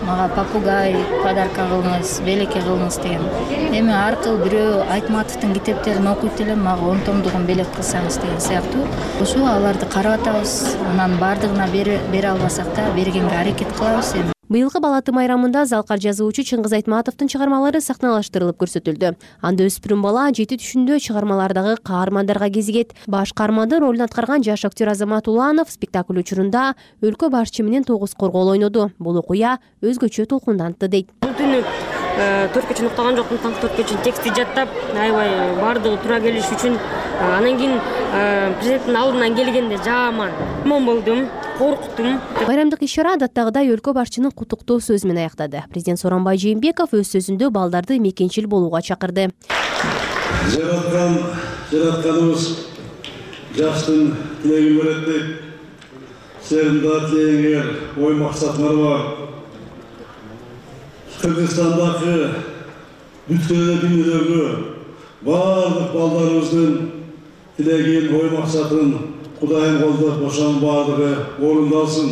мага попугай подарка кылыңыз, белекке кылыңыз деген. Эми аркылуу бирөө Айтматовдун китептерин окуйт элем, мага он томдугун белек кылсаңыз деген сыяктуу. Ошо аларды карап атабыз. Анан баардыгына бере албасак да бергенге аракет кылабыз. Эми Быйылкы балаты майрамында залкар жазуучу Чыңгыз Айтматовдун чыгармалары сахналаштырылып көрсөтүлдү. Анда өспүрүм бала жети түшүндө чыгармалардагы каармандарга кезигет. Баш каарманды ролун аткарган жаш актер Азамат Уланов спектакль учурунда өлкө башчы менен тогуз коргоол ойноду. Бул окуя өзгөчө толкундантты дейт. Бул түнү төрткө чейин уктаган жокмун, таң төрткө чейин текстти жаттап, аябай баардыгы туура келиш үчүн. Анан кийин президенттин алдынан келгенде жаман мон болдум, корктум. Байрамдык иш-чара адаттагыдай өлкө башчынын куттуктоо сөзү менен аяктады. Президент Сооронбай Жээнбеков өз сөзүндө балдарды мекенчил болууга чакырды. Жараткан, жаратканыбыз жаштын тилегин берет дейт. Силердин да тилегиңер, ой максатыңар бар. Кыргызстандагы бүткөн дүйнөдөгү баардык балдарыбыздын тилегин, ой максатын Кудайым колдоп, ошонун баардыгы орундалсын.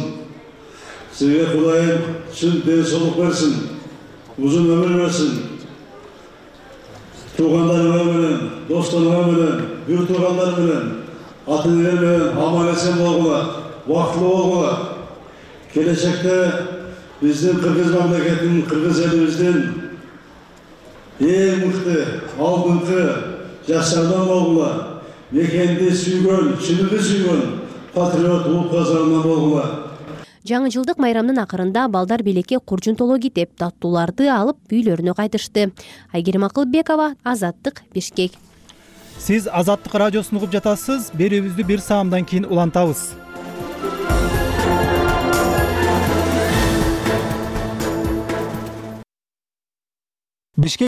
Сизге Кудайым чын ден соолук берсин, узун өмүр берсин. Туугандарыңар менен, досторуңар менен, бүр туугандар менен, ата-энеңер менен аман эсен болгула, бактылуу болгула. Келечекте биздин Кыргыз мамлекетинин, Кыргыз элибиздин эң мыкты, алдыңкы жаштардан болгула. Мекенди сүйгөн, чыныгы сүйгөн патриот улут казарынан болгула. Жаңы жылдык майрамдын акырында балдар белекке куржунтоло китеп, таттууларды алып үйлөрүнө кайтышты. Айгерим Акылбекова, Азаттык, Бишкек. Сиз Азаттык радиосун угуп жатасыз. Берүүбүздү бир саамдан кийин улантабыз. Бишкек